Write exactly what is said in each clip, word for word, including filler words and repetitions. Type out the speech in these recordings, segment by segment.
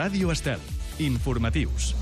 Ràdio Estel. Informatius.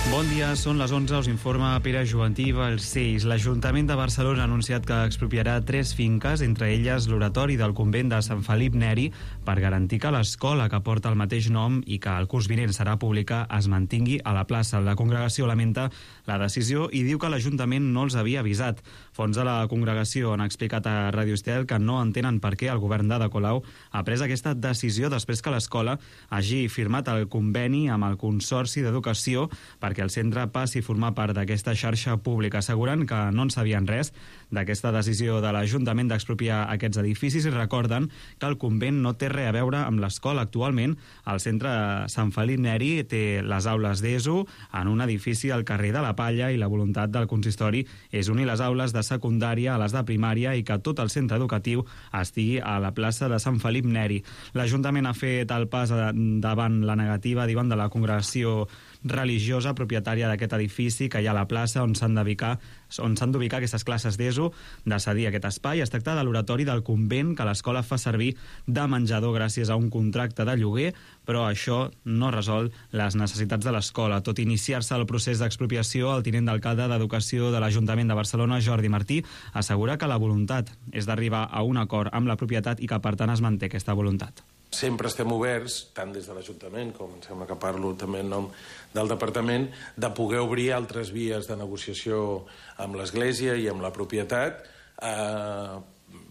Bon dia, són les onze, us informa Pere Jovantí Balcells. L'Ajuntament de Barcelona ha anunciat que expropiarà tres finques, entre elles l'oratori del convent de Sant Felip Neri, per garantir que l'escola que porta el mateix nom i que el curs vinent serà pública es mantingui a la plaça. La congregació lamenta la decisió i diu que l'Ajuntament no els havia avisat. Fons de la congregació han explicat a Ràdio Estel que no entenen per què el govern d'Ada Colau ha pres aquesta decisió després que l'escola hagi firmat el conveni amb el Consorci d'Educació per que el centre passi a formar part d'aquesta xarxa pública. Asseguren que no en sabien res d'aquesta decisió de l'Ajuntament d'expropiar aquests edificis i recorden que el convent no té res a veure amb l'escola. Actualment, el centre Sant Felip Neri té les aules d'E S O en un edifici al carrer de la Palla i la voluntat del consistori és unir les aules de secundària a les de primària i que tot el centre educatiu estigui a la plaça de Sant Felip Neri. L'Ajuntament ha fet el pas davant la negativa, diuen, de la congregació religiosa propietària d'aquest edifici que hi ha a la plaça on s'han d'ubicar on s'han d'ubicar aquestes classes d'E S O, de cedir aquest espai. Es tracta de l'oratori del convent que l'escola fa servir de menjador gràcies a un contracte de lloguer, però això no resol les necessitats de l'escola. Tot iniciar-se el procés d'expropiació, el tinent d'alcalde d'Educació de l'Ajuntament de Barcelona, Jordi Martí, assegura que la voluntat és d'arribar a un acord amb la propietat i que per tant es manté aquesta voluntat. Sempre estem oberts, tant des de l'Ajuntament com em sembla que parlo també en nom del Departament, de poder obrir altres vies de negociació amb l'Església i amb la propietat, eh,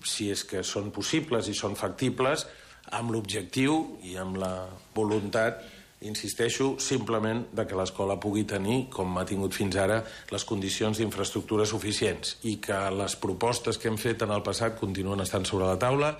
si és que són possibles i són factibles, amb l'objectiu i amb la voluntat, insisteixo, simplement de que l'escola pugui tenir, com ha tingut fins ara, les condicions d'infraestructura suficients i que les propostes que hem fet en el passat continuen estant sobre la taula.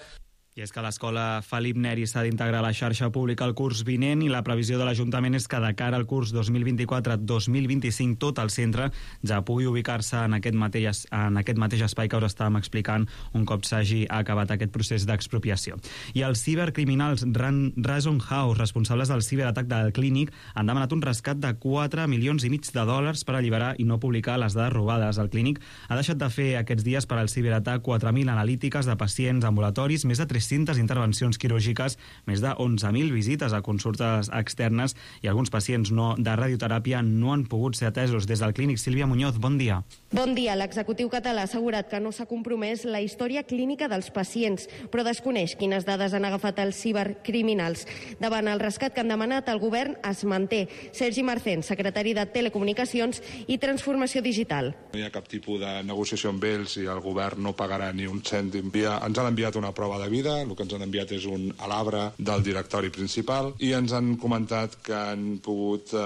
I és que l'escola Felip Neri s'ha d'integrar a la xarxa pública el curs vinent i la previsió de l'Ajuntament és que de cara al curs dos mil vint-i-quatre dos mil vint-i-cinc tot el centre ja pugui ubicar-se en aquest mateix, en aquest mateix espai que us estàvem explicant un cop s'hagi acabat aquest procés d'expropiació. I els cibercriminals Ransom House, responsables del ciberatac del Clínic, han demanat un rescat de quatre milions i mig de dòlars per alliberar i no publicar les dades robades. El Clínic ha deixat de fer aquests dies per al ciberatac quatre mil analítiques de pacients ambulatoris, més de tres-centes intervencions quirúrgiques, més de onze mil visites a consultes externes i alguns pacients no de radioteràpia no han pogut ser atesos. Des del Clínic, Sílvia Muñoz, bon dia. Bon dia. L'executiu català ha assegurat que no s'ha compromès la història clínica dels pacients, però desconeix quines dades han agafat els cibercriminals. Davant el rescat que han demanat, el govern es manté. Sergi Marcén, secretari de Telecomunicacions i Transformació Digital. No hi ha cap tipus de negociació amb ells i el govern no pagarà ni un cèntim. Ens han enviat una prova de vida, el que ens han enviat és un alabre del directori principal i ens han comentat que han pogut eh,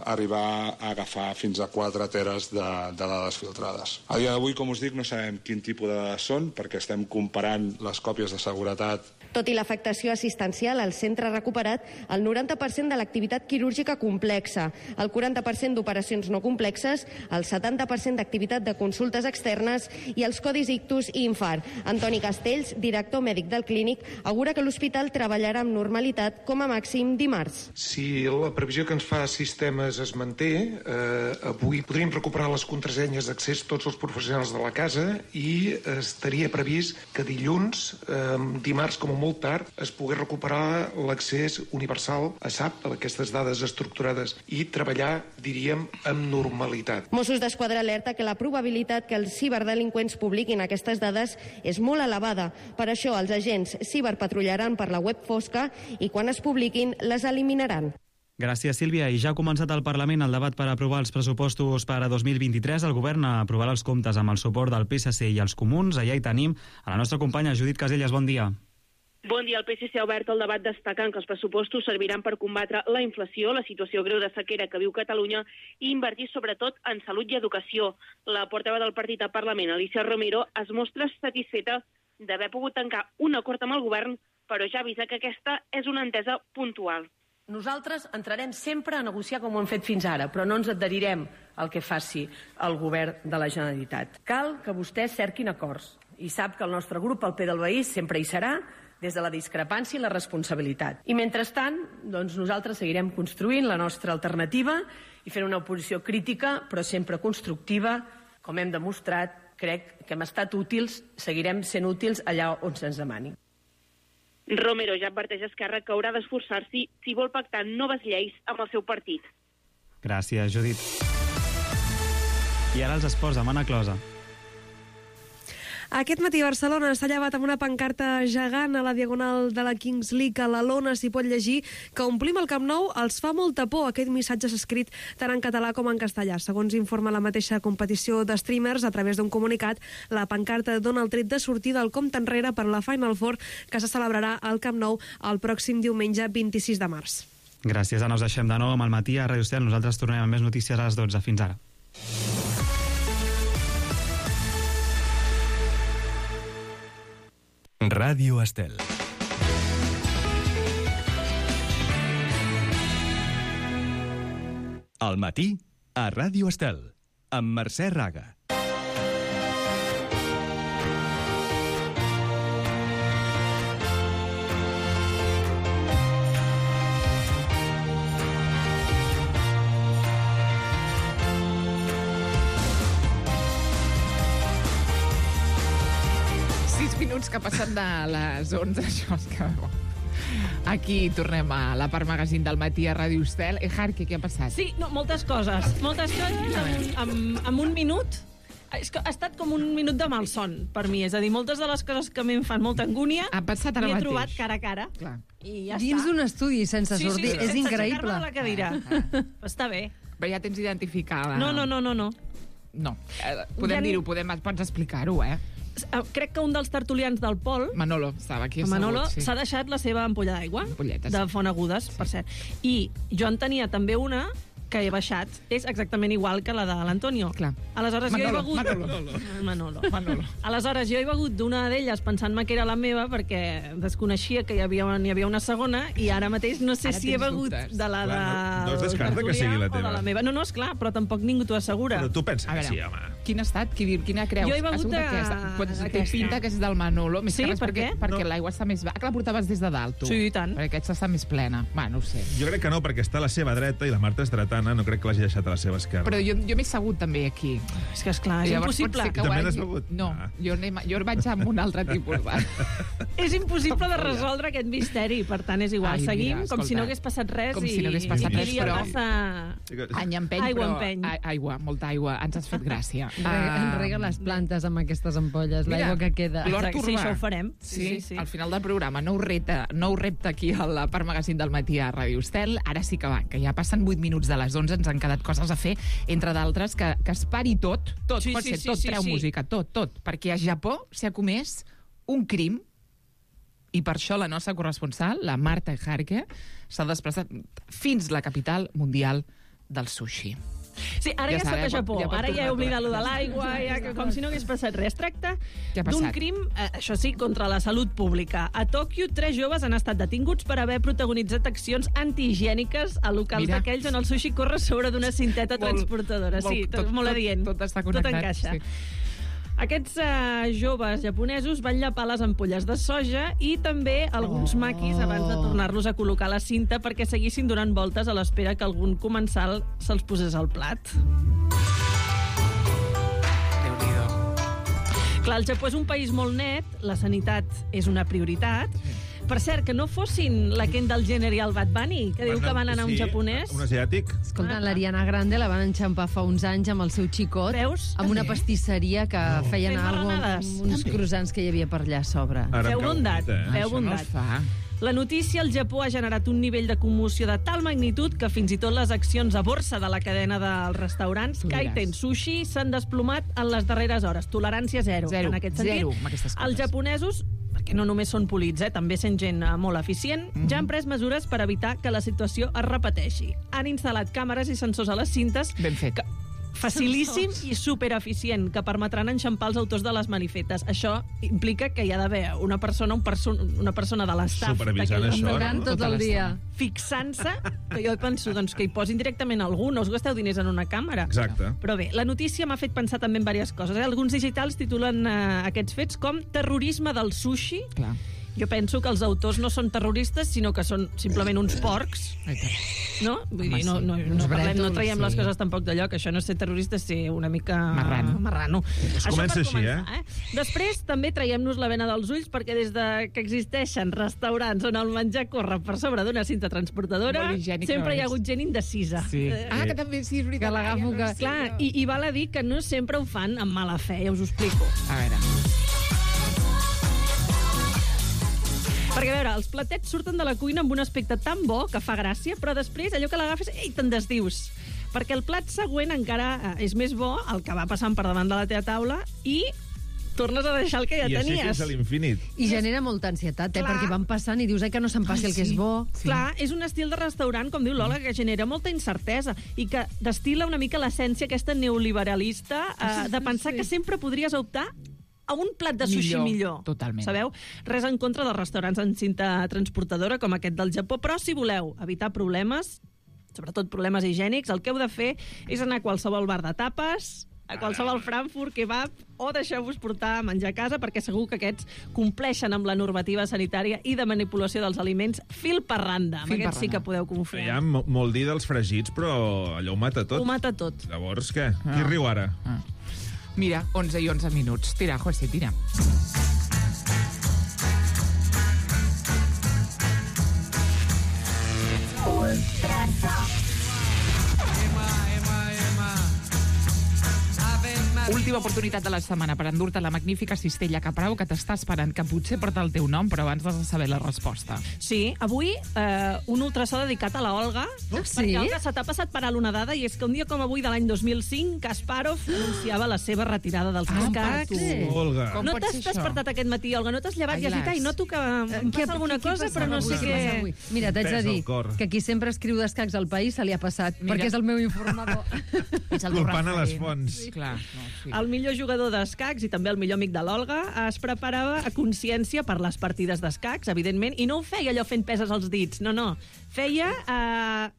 arribar a agafar fins a quatre teres de, de dades filtrades. A dia d'avui, com us dic, no sabem quin tipus de dades són perquè estem comparant les còpies de seguretat. Tot i l'afectació assistencial, el centre ha recuperat el noranta per cent de l'activitat quirúrgica complexa, el quaranta per cent d'operacions no complexes, el setanta per cent d'activitat de consultes externes i els codis ictus i infart. Antoni Castells, director mèdic del Clínic, augura que l'hospital treballarà amb normalitat com a màxim dimarts. Si la previsió que ens fa Sistemes es manté, eh, avui podríem recuperar les contrasenyes d'accés tots els professionals de la casa i estaria previst que dilluns, eh, dimarts com a molt tard, es pogués recuperar l'accés universal a S A P, a aquestes dades estructurades, i treballar, diríem, amb normalitat. Mossos d'Esquadra alerta que la probabilitat que els ciberdelinqüents publiquin aquestes dades és molt elevada. Per això, els agents ciberpatrullaran per la web fosca i quan es publiquin les eliminaran. Gràcies, Sílvia. I ja ha començat al Parlament el debat per aprovar els pressupostos per a dos mil vint-i-tres. El govern aprovarà els comptes amb el suport del P S C i els comuns. Allà hi tenim a la nostra companya Judit Caselles. Bon dia. Bon dia. El P S C ha obert el debat destacant que els pressupostos serviran per combatre la inflació, la situació greu de sequera que viu Catalunya i invertir sobretot en salut i educació. La portaveu del partit al Parlament, Alicia Romero, es mostra satisfeta d'haver pogut tancar un acord amb el govern, però ja avisa que aquesta és una entesa puntual. Nosaltres entrarem sempre a negociar com ho hem fet fins ara, però no ens adherirem al que faci el govern de la Generalitat. Cal que vostès cerquin acords i sap que el nostre grup, el P del Veí, sempre hi serà, des de la discrepància i la responsabilitat. I mentrestant, doncs nosaltres seguirem construint la nostra alternativa i fent una oposició crítica, però sempre constructiva, com hem demostrat. Crec que hem estat útils, seguirem sent útils allà on se'ns demani. Romero ja adverteix a Esquerra que haurà d'esforçar-s'hi si vol pactar noves lleis amb el seu partit. Gràcies, Judit. I ara els esports, amb Anna Closa. Aquest matí Barcelona s'ha llevat amb una pancarta gegant a la diagonal de la Kings League. A la lona s'hi pot llegir que omplim el Camp Nou els fa molta por. Aquest missatge s'ha escrit tant en català com en castellà. Segons informa la mateixa competició de streamers, a través d'un comunicat, la pancarta dona el tret de sortida al compte enrere per la Final Four que se celebrarà al Camp Nou el pròxim diumenge vint-i-sis de març. Gràcies, Anna. Us deixem de nou amb el matí a Ràdio Estel. Nosaltres tornem amb més notícies a les dotze. Fins ara. Ràdio Estel. Al matí, a Ràdio Estel, amb Mercè Raga. Minuts que passen de les onze, això és que... Aquí tornem a la part magazín del matí a Ràdio Estel. Eh, Jarque, què ha passat? Sí, no, moltes coses. Moltes coses en, en, en un minut. És que ha estat com un minut de malson per mi. És a dir, moltes de les coses que a mi em fan molta angúnia ha passat ara m'hi he mateix. trobat cara a cara. Clar. I ja Dins està. d'un estudi, sense sí, sortir. Sí, sí, és sense increïble. aixecar-me de la cadira. Ah, ah. Està bé. Però ja tens identificada. No, no, no, no. no. No. Eh, podem Ja dir-ho, ni- podem, pots explicar-ho, eh? Crec que un dels tertulians del Pol, Manolo, estava aquí assegut. Manolo, sí. s'ha deixat la seva ampolla d'aigua, Ampolletes. de Font Agudes, per cert. I jo en tenia també una que he baixat. És exactament igual que la de l'Antonio. Clar. Aleshores, Manolo, jo he begut... Manolo. Manolo. Manolo. Aleshores, jo he begut d'una d'elles pensant-me que era la meva perquè desconeixia que hi havia, n'hi havia una segona i ara mateix no sé Ara si he tens begut dubtes. de la de... Clar, no- no es descarta que sigui la o de teva. la meva. No, no, esclar, però tampoc ningú t'ho assegura. Però tu penses A que veure, sí, home. Quin ha estat? Qui, quina creus? Jo he begut Ha sigut de- aquesta. Pots, té aquesta. pinta que és del Manolo. Més Sí, que res per perquè, què? perquè No. l'aigua està més... Ah, que la portaves des de dalt, tu. Sí, i tant. Perquè aquesta està més plena. Va, no ho sé. Jo crec que no, perquè està a la seva dreta i la Marta és dretana, no crec que l'hagi deixat a la seva esquerra. Però jo, jo m'he assegut també aquí. És que, esclar, és Llavors impossible. pot ser que I ho també hagi- l'has begut? No, Ah. jo, anem, jo vaig amb un altre tipus. Va. És impossible de resoldre aquest misteri, per tant és igual. Ai, mira, Seguim com escolta, si no hagués passat res com i, si no hagués passat i res, diria però- passa... Any empeny, Aigua però... empeny. a- Aigua, molta aigua. Ens has fet gràcia. Rega, Ah, enrega les plantes amb aquestes ampolles, Mira, l'aigua que queda. L'Hort Exacte, sí, Urbà. això ho farem. Sí, Sí, sí, sí. al final del programa. Nou repte, nou repte aquí a la part magazín del matí a Ràdio Estel. Ara sí que va, que ja passen vuit minuts de les onze, ens han quedat coses a fer, entre d'altres, que, que es pari tot, tot, Sí, pot sí, ser sí, tot, sí, treu sí. música, tot, tot, perquè a Japó s'ha comès un crim i per això la nostra corresponsal, la Marta Jarque, s'ha desplaçat fins la capital mundial del sushi. Sí, ara ja, Ja ja està, estat a ja pot- Japó. ja pot Ara ja he tornar, oblidat lo de tornar. l'aigua, ja, que com si no hagués passat res. Es tracta Què ha d'un passat? crim, eh, això sí, contra la salut pública. A Tòquio, tres joves han estat detinguts per haver protagonitzat accions antihigièniques a locals Mira. d'aquells on el sushi corre sobre d'una cinteta Molt- transportadora. Sí, molt- tot, tot- molt tot- adient. tot està Tot connectat, encaixa. sí. Aquests eh, joves japonesos van llapar les ampolles de soja i també alguns Oh. maquis abans de tornar-los a col·locar a la cinta perquè seguissin donant voltes a l'espera que algun comensal se'ls posés al plat. Déu-n'hi-do. Clar, el Japó és un país molt net, la sanitat és una prioritat. Per cert, que no fossin la Kendall Jenner i el Bad Bunny, que diu que van anar a un Sí, japonès. Un asiàtic. Escolta, l'Ariana Grande la van enxampar fa uns anys amb el seu xicot. Veus? Amb una També? pastisseria que feien Fent alguna melanades. amb uns croissants que hi havia per allà a sobre. Ara em Feu cau bondat, bonita, eh? feu Això no bondat. es fa. La notícia al Japó ha generat un nivell de commoció de tal magnitud que fins i tot les accions a borsa de la cadena dels restaurants Tu diràs. Kaiten Sushi s'han desplomat en les darreres hores. Tolerància zero, Zero, en aquest sentit. zero amb aquestes coses. Els japonesos, perquè no només són polits, eh, també sent gent eh, molt eficient, Mhm. ja han pres mesures per evitar que la situació es repeteixi. Han instal·lat càmeres i sensors a les cintes Ben fet. que, facilíssim i supereficient, que permetran enxampar els autors de les manifestes. Això implica que hi ha d'haver una persona, un perso una persona de l'estaf Supervisant d'aquell això, restaurant no? Tot el dia. fixant-se, que jo penso doncs, que hi posin directament algú, no us gasteu diners en una càmera. Exacte. Però bé, la notícia m'ha fet pensar també en diverses coses. Eh? Alguns digitals titulen eh, aquests fets com terrorisme del sushi Clar. Jo penso que els autors no són terroristes, sinó que són simplement uns porcs. No? Vull dir, no, no, no, parlem, no traiem les coses tampoc de lloc. Això no és ser terrorista, és ser una mica... Marrano. Marrano. Es comença així, eh? eh? Després, també traiem-nos la vena dels ulls, perquè des de que existeixen restaurants on el menjar corre per sobre d'una cinta transportadora, sempre hi ha hagut gent indecisa. Sí. Eh, ah, que també sí, és veritat. Que l'agafo que... Clar, i, i val a dir que no sempre ho fan amb mala fe, ja us ho explico. A veure... Perquè, a veure, els platets surten de la cuina amb un aspecte tan bo que fa gràcia, però després allò que l'agafes, ei, te'n desdius. Perquè el plat següent encara és més bo, el que va passant per davant de la teva taula, i tornes a deixar el que ja I tenies. I així fins a l'infinit. I genera molta ansietat, eh? Clar. Perquè van passant i dius, ai, que no se'n passi Ai, el que sí. és bo. Sí. Clar, és un estil de restaurant, com diu Lola, que genera molta incertesa i que destila una mica l'essència aquesta neoliberalista eh, de pensar sí. que sempre podries optar a un plat de sushi millor. millor. Totalment. Sabeu? Res en contra dels restaurants en cinta transportadora com aquest del Japó, però si voleu evitar problemes, sobretot problemes higiènics, el que heu de fer és anar a qualsevol bar de tapes, a qualsevol Frankfurt, kebab, o deixeu-vos portar a menjar a casa, perquè segur que aquests compleixen amb la normativa sanitària i de manipulació dels aliments fil per randa. Amb Fil aquests per sí que podeu confiar. Hi ha mo- molt dir dels fregits, però allò ho mata tot. Ho mata tot. Llavors, què? Qui riu ara? Ah. Mira, onze i onze minuts. Tira, José, tira. Última oportunitat de la setmana per endur-te la magnífica cistella Caprau que t'està esperant, que potser porta el teu nom, però abans has de saber la resposta. Sí, avui eh, un ultrasò dedicat a la Olga, Oh, sí? perquè Olga se t'ha passat per alt una dada, i és que un dia com avui de l'any dos mil cinc, Kasparov anunciava la seva retirada dels Ah, escacs. per tu. Olga. Com No pot t'has ser això? despertat aquest matí, Olga? No t'has llevat Ai, i has dit, las. ai, noto que em Què- passa alguna què cosa, passa però no avui? sé Què passa avui? què... Mira, t'haig de Pesa el dir cor. que qui sempre escriu d'escacs al País se li ha passat, Mira. perquè és el meu informador. És el Culpant a les referent. fonts. Sí. Clar, no, sí. El millor jugador d'escacs i també el millor amic de l'Olga es preparava a consciència per les partides d'escacs, evidentment, i no ho feia allò fent peses als dits, no, no. Feia eh,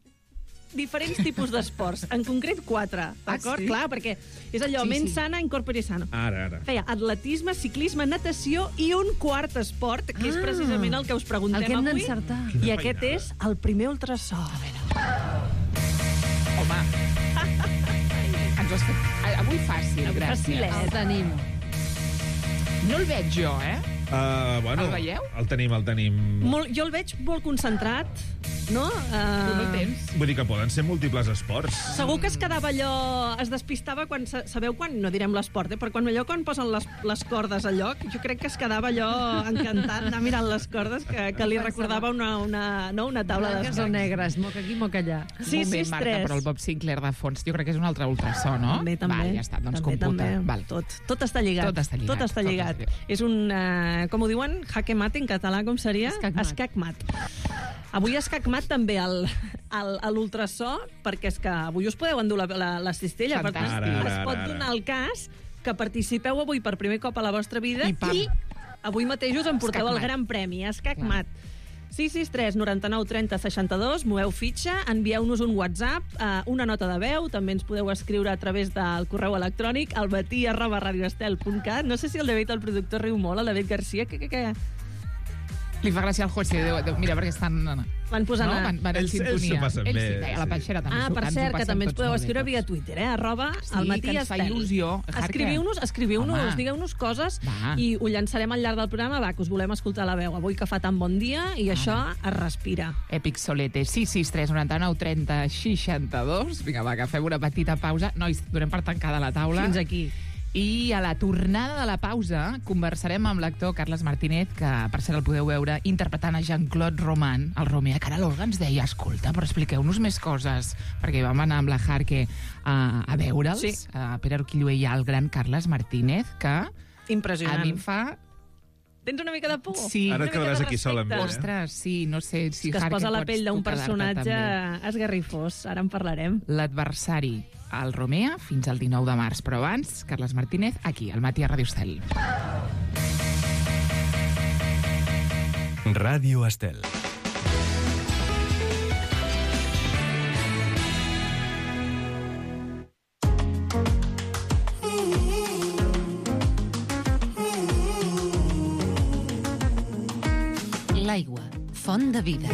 diferents tipus d'esports, en concret quatre, d'acord? Ah, sí? Clar, perquè és allò, Sí, ment sí. sana, incorpore sano. Ara, ara. Feia atletisme, ciclisme, natació i un quart esport, que és Ah, precisament el que us preguntem el que hem avui. d'encertar. I Quina aquest feinada. és el primer ultrasò. A veure. Home. Ens ho has fet... Avui fàcil, Avui gràcies. facilet. El tenim. No el veig jo, eh? Uh, bueno, El veieu? El tenim, el tenim... Molt, jo el veig molt concentrat, no? Uh, Tu no el tens? Vull dir que poden ser múltiples esports. Segur que es quedava allò... Es despistava quan... sa- Sabeu quan? No direm l'esport, eh? Però quan allò quan posen les, les cordes al lloc, jo crec que es quedava allò encantat anar mirant les cordes, que, que li recordava una, una, no, una taula Blanques d'escacs. o negres, moca aquí, moca allà. Sí, Un moment, sí, Marta, tres. però el Bob Sinclair de fons, jo crec que és un altre ultrasò, no? També, també. Val, ja està, doncs també, computa. també. Val. Tot, tot està lligat. Tot està lligat, Tot està tot lligat. està lligat. És un, uh, com ho diuen, jaque mate en català, com seria? Escac mat. Escac mat. Avui escac mat també al, al, a l'ultrasò, perquè és que avui us podeu endur la, la, la cistella. Per tant, Fantàstic. Ara, ara, es pot ara, ara. donar el cas que participeu avui per primer cop a la vostra vida I pam. i avui mateix us emporteu Escac el mat. gran premi, escac Clar. mat. sis sis tres noranta-nou trenta seixanta-dos, moveu fitxa, envieu-nos un WhatsApp, eh, una nota de veu, també ens podeu escriure a través del correu electrònic almatí arroba radioestel punt cat. No sé si el David, el productor, riu molt, el David Garcia, que, que, que Li fa gràcia al José. De, de, mira, perquè estan... van posant... No? a- Van, van en Ells- ells sintonia. s'ho passen Ells bé, sí, a la sí. Panxera també. Ah, s'ho- per ens ho cert, que passem també ens tots podeu molt bé, escriure tots. via Twitter, eh? Arroba Sí, al matí que ens fa estel. il·lusió. Jarque. Escriviu-nos, escriviu-nos, Home. digueu-nos coses Va. i ho llançarem al llarg del programa, va, que us volem escoltar la veu. Avui que fa tan bon dia i això es respira. Èpic Solete, sis sis tres noranta-nou trenta seixanta-dos. Vinga, va, que fem una petita pausa. Nois, donem per tancada la taula. Fins aquí. I a la tornada de la pausa conversarem amb l'actor Carles Martínez, que per cert el podeu veure interpretant a Jean-Claude Roman, el Romea, que ara l'Olga ens deia, escolta, però expliqueu-nos més coses, perquè vam anar amb la Jarque a, a veure'ls, Sí. a Pere Arquillo i al gran Carles Martínez, que Impressionant. a mi em fa... Tens una mica de por? Sí. Ara Una et mica quedaràs de aquí sol amb ell, eh? respecte. Ostres, sí, no sé si Que es Jarque posa la pots pell d'un tu quedar-te personatge també. esgarrifós. Ara en parlarem. L'adversari, el Romea, fins al dinou de març. Però abans, Carles Martínez, aquí, al matí a Ràdio Estel. Ràdio Estel. L'aigua, font de vida.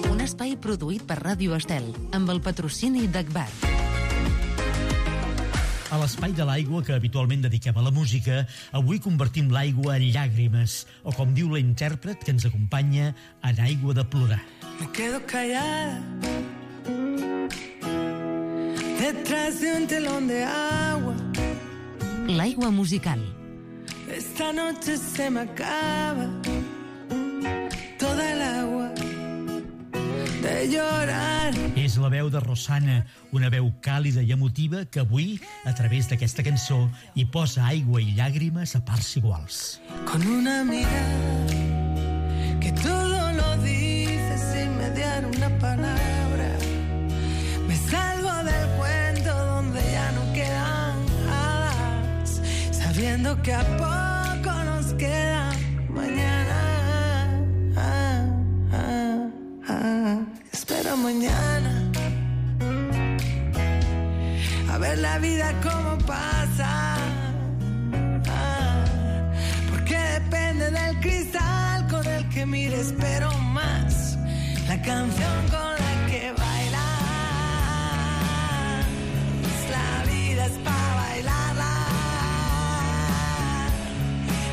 Un espai produït per Ràdio Estel, amb el patrocini d'Agbar. A l'espai de l'aigua que habitualment dediquem a la música, avui convertim l'aigua en llàgrimes, o com diu la intèrpret que ens acompanya, en aigua de plorar. Me quedo callada detrás de un telón de agua. L'aigua musical. Esta noche se me acaba toda el agua de llorar. És la veu de Rosana, una veu càlida i emotiva que avui, a través d'aquesta cançó, hi posa aigua i llàgrimes a parts iguals. Con una mirada que todo lo dice sin mediar una palabra. Me salvo del cuento donde ya no quedan hadas, sabiendo que a poco nos queda mañana. Ah, ah, ah. Espero mañana a ver la vida como pasa, ah, porque depende del cristal con el que mires, pero más la canción con la que bailas. La vida es para bailarla,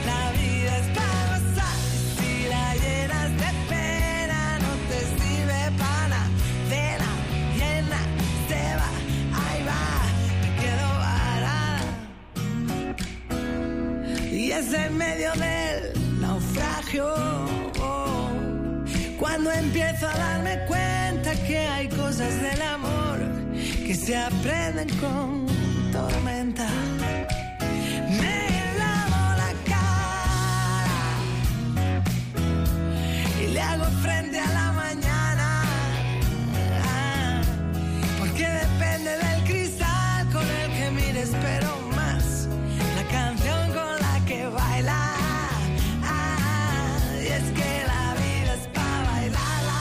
la vida es para gozar. Si la llenas de pena no te sirve para nada, de la llena se va, ahí va, me quedo varada. Y es en medio del naufragio oh, cuando empiezo a darme cuenta que hay cosas del amor que se aprenden con tormenta. Me lavo la cara y le hago frente a la mañana, ah, porque depende del cristal con el que mires, pero más la canción con la que baila. Ah, y es que la vida es para bailarla,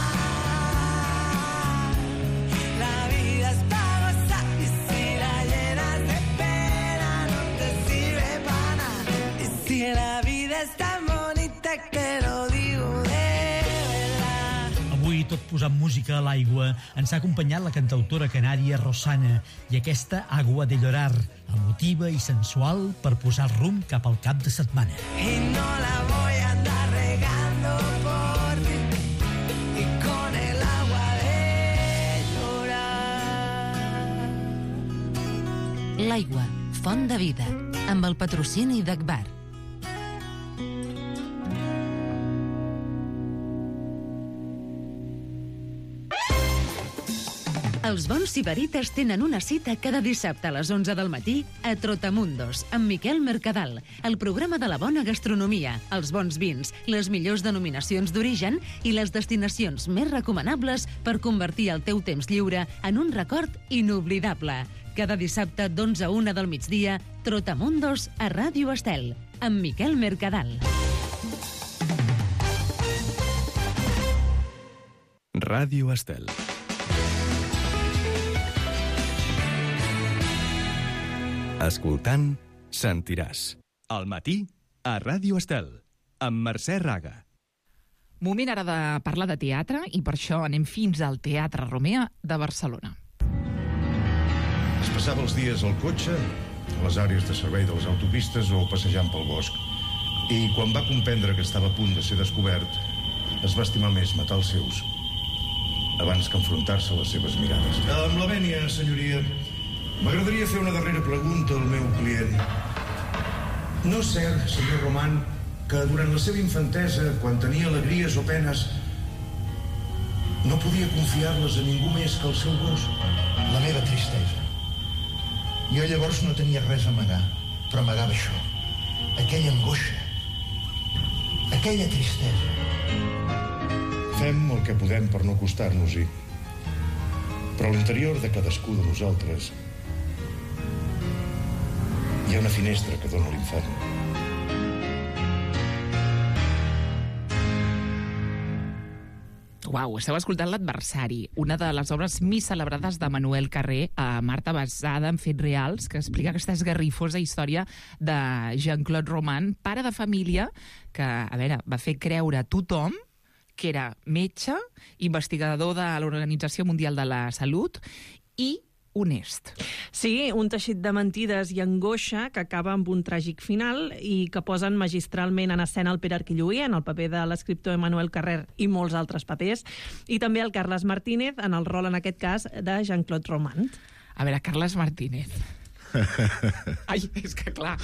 la vida es para gozar. Y si la llenas de pena no te sirve para nada. Y si la vida es tan bonita que lo digo de verdad. Avui, tot posant música a l'aigua, ens ha acompanyat la cantautora canària Rosana i aquesta Agua de llorar, emotiva i sensual per posar rumb cap al cap de setmana. Y no la voy a andar regando por ti y con el agua de llorar. L'aigua, font de vida, amb el patrocini d'Agbar. Els bons sibarites tenen una cita cada dissabte a les onze del matí a Trotamundos, amb Miquel Mercadal, el programa de la bona gastronomia, els bons vins, les millors denominacions d'origen i les destinacions més recomanables per convertir el teu temps lliure en un record inoblidable. Cada dissabte d'onze a una del migdia, Trotamundos a Ràdio Estel, amb Miquel Mercadal. Ràdio Estel. Escoltant, sentiràs. Al matí, a Ràdio Estel, amb Mercè Raga. Moment ara de parlar de teatre i per això anem fins al Teatre Romea de Barcelona. Es passava els dies al cotxe, a les àrees de servei de les autopistes o passejant pel bosc. I quan va comprendre que estava a punt de ser descobert, es va estimar més matar els seus abans que enfrontar-se a les seves mirades. Amb la vènia, senyoria, m'agradaria fer una darrera pregunta al meu client. No és cert, senyor Roman, que durant la seva infantesa, quan tenia alegries o penes, no podia confiar-les a ningú més que al seu gos? La meva tristesa. Jo llavors no tenia res a amagar, però amagava això. Aquella angoixa. Aquella tristesa. Fem el que podem per no acostar-nos-hi. Però a l'interior de cadascú de nosaltres hi ha una finestra que dona a l'infern. Uau, esteu escoltant L'adversari, una de les obres més celebrades de Manuel Carré, a Marta, basada en fets reals, que explica aquesta esgarrifosa història de Jean-Claude Roman, pare de família, que, a veure, va fer creure a tothom que era metge, investigador de l'Organització Mundial de la Salut i honest. Sí, un teixit de mentides i angoixa que acaba amb un tràgic final i que posen magistralment en escena el Pere Arquilluí en el paper de l'escriptor Emmanuel Carrer i molts altres papers, i també el Carles Martínez en el rol, en aquest cas, de Jean-Claude Roman. A veure, Carles Martínez... Ai, és que clar...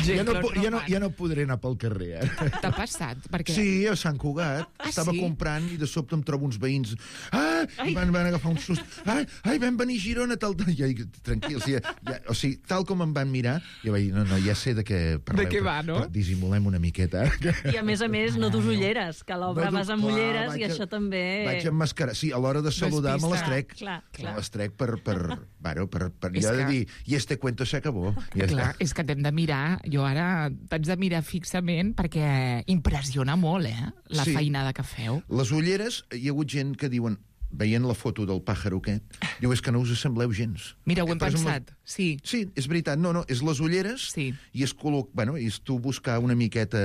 Ja no, ja, no, ja no podré anar pel carrer, eh? T'ha passat? Perquè... Sí, a Sant Cugat. Ah, Estava sí? comprant i de sobte em trobo uns veïns. Ah! Ai. Van, van agafar un sust. Ai, ai, vam venir a Girona, tal... Ja, tranquils, ja, ja, o sigui, tal com em van mirar, jo vaig dir, no, no, ja sé de què parleu. De què va, no? Però dissimulem una miqueta. I a més a més, no dus ulleres, que a l'obra No, vas amb clar, ulleres vaig i a- això també... Vaig emmascarar. Sí, a l'hora de saludar me les trec. Clar, clar. Me les trec per... per, bueno, per, per És allò de que- dir, i este cuento se acabó. Ja Clar, està. és que t'hem de mirar, jo ara t'haig de mirar fixament perquè impressiona molt, eh, la Sí. feinada que feu. Les ulleres, hi ha hagut gent que diuen, veient la foto del pàjaro aquest, diu, és que no us assembleu gens. Mira, ho hem Per exemple, pensat, sí. Sí, és veritat. No, no, és les ulleres sí. i és, col·loc... bueno, és tu buscar una miqueta,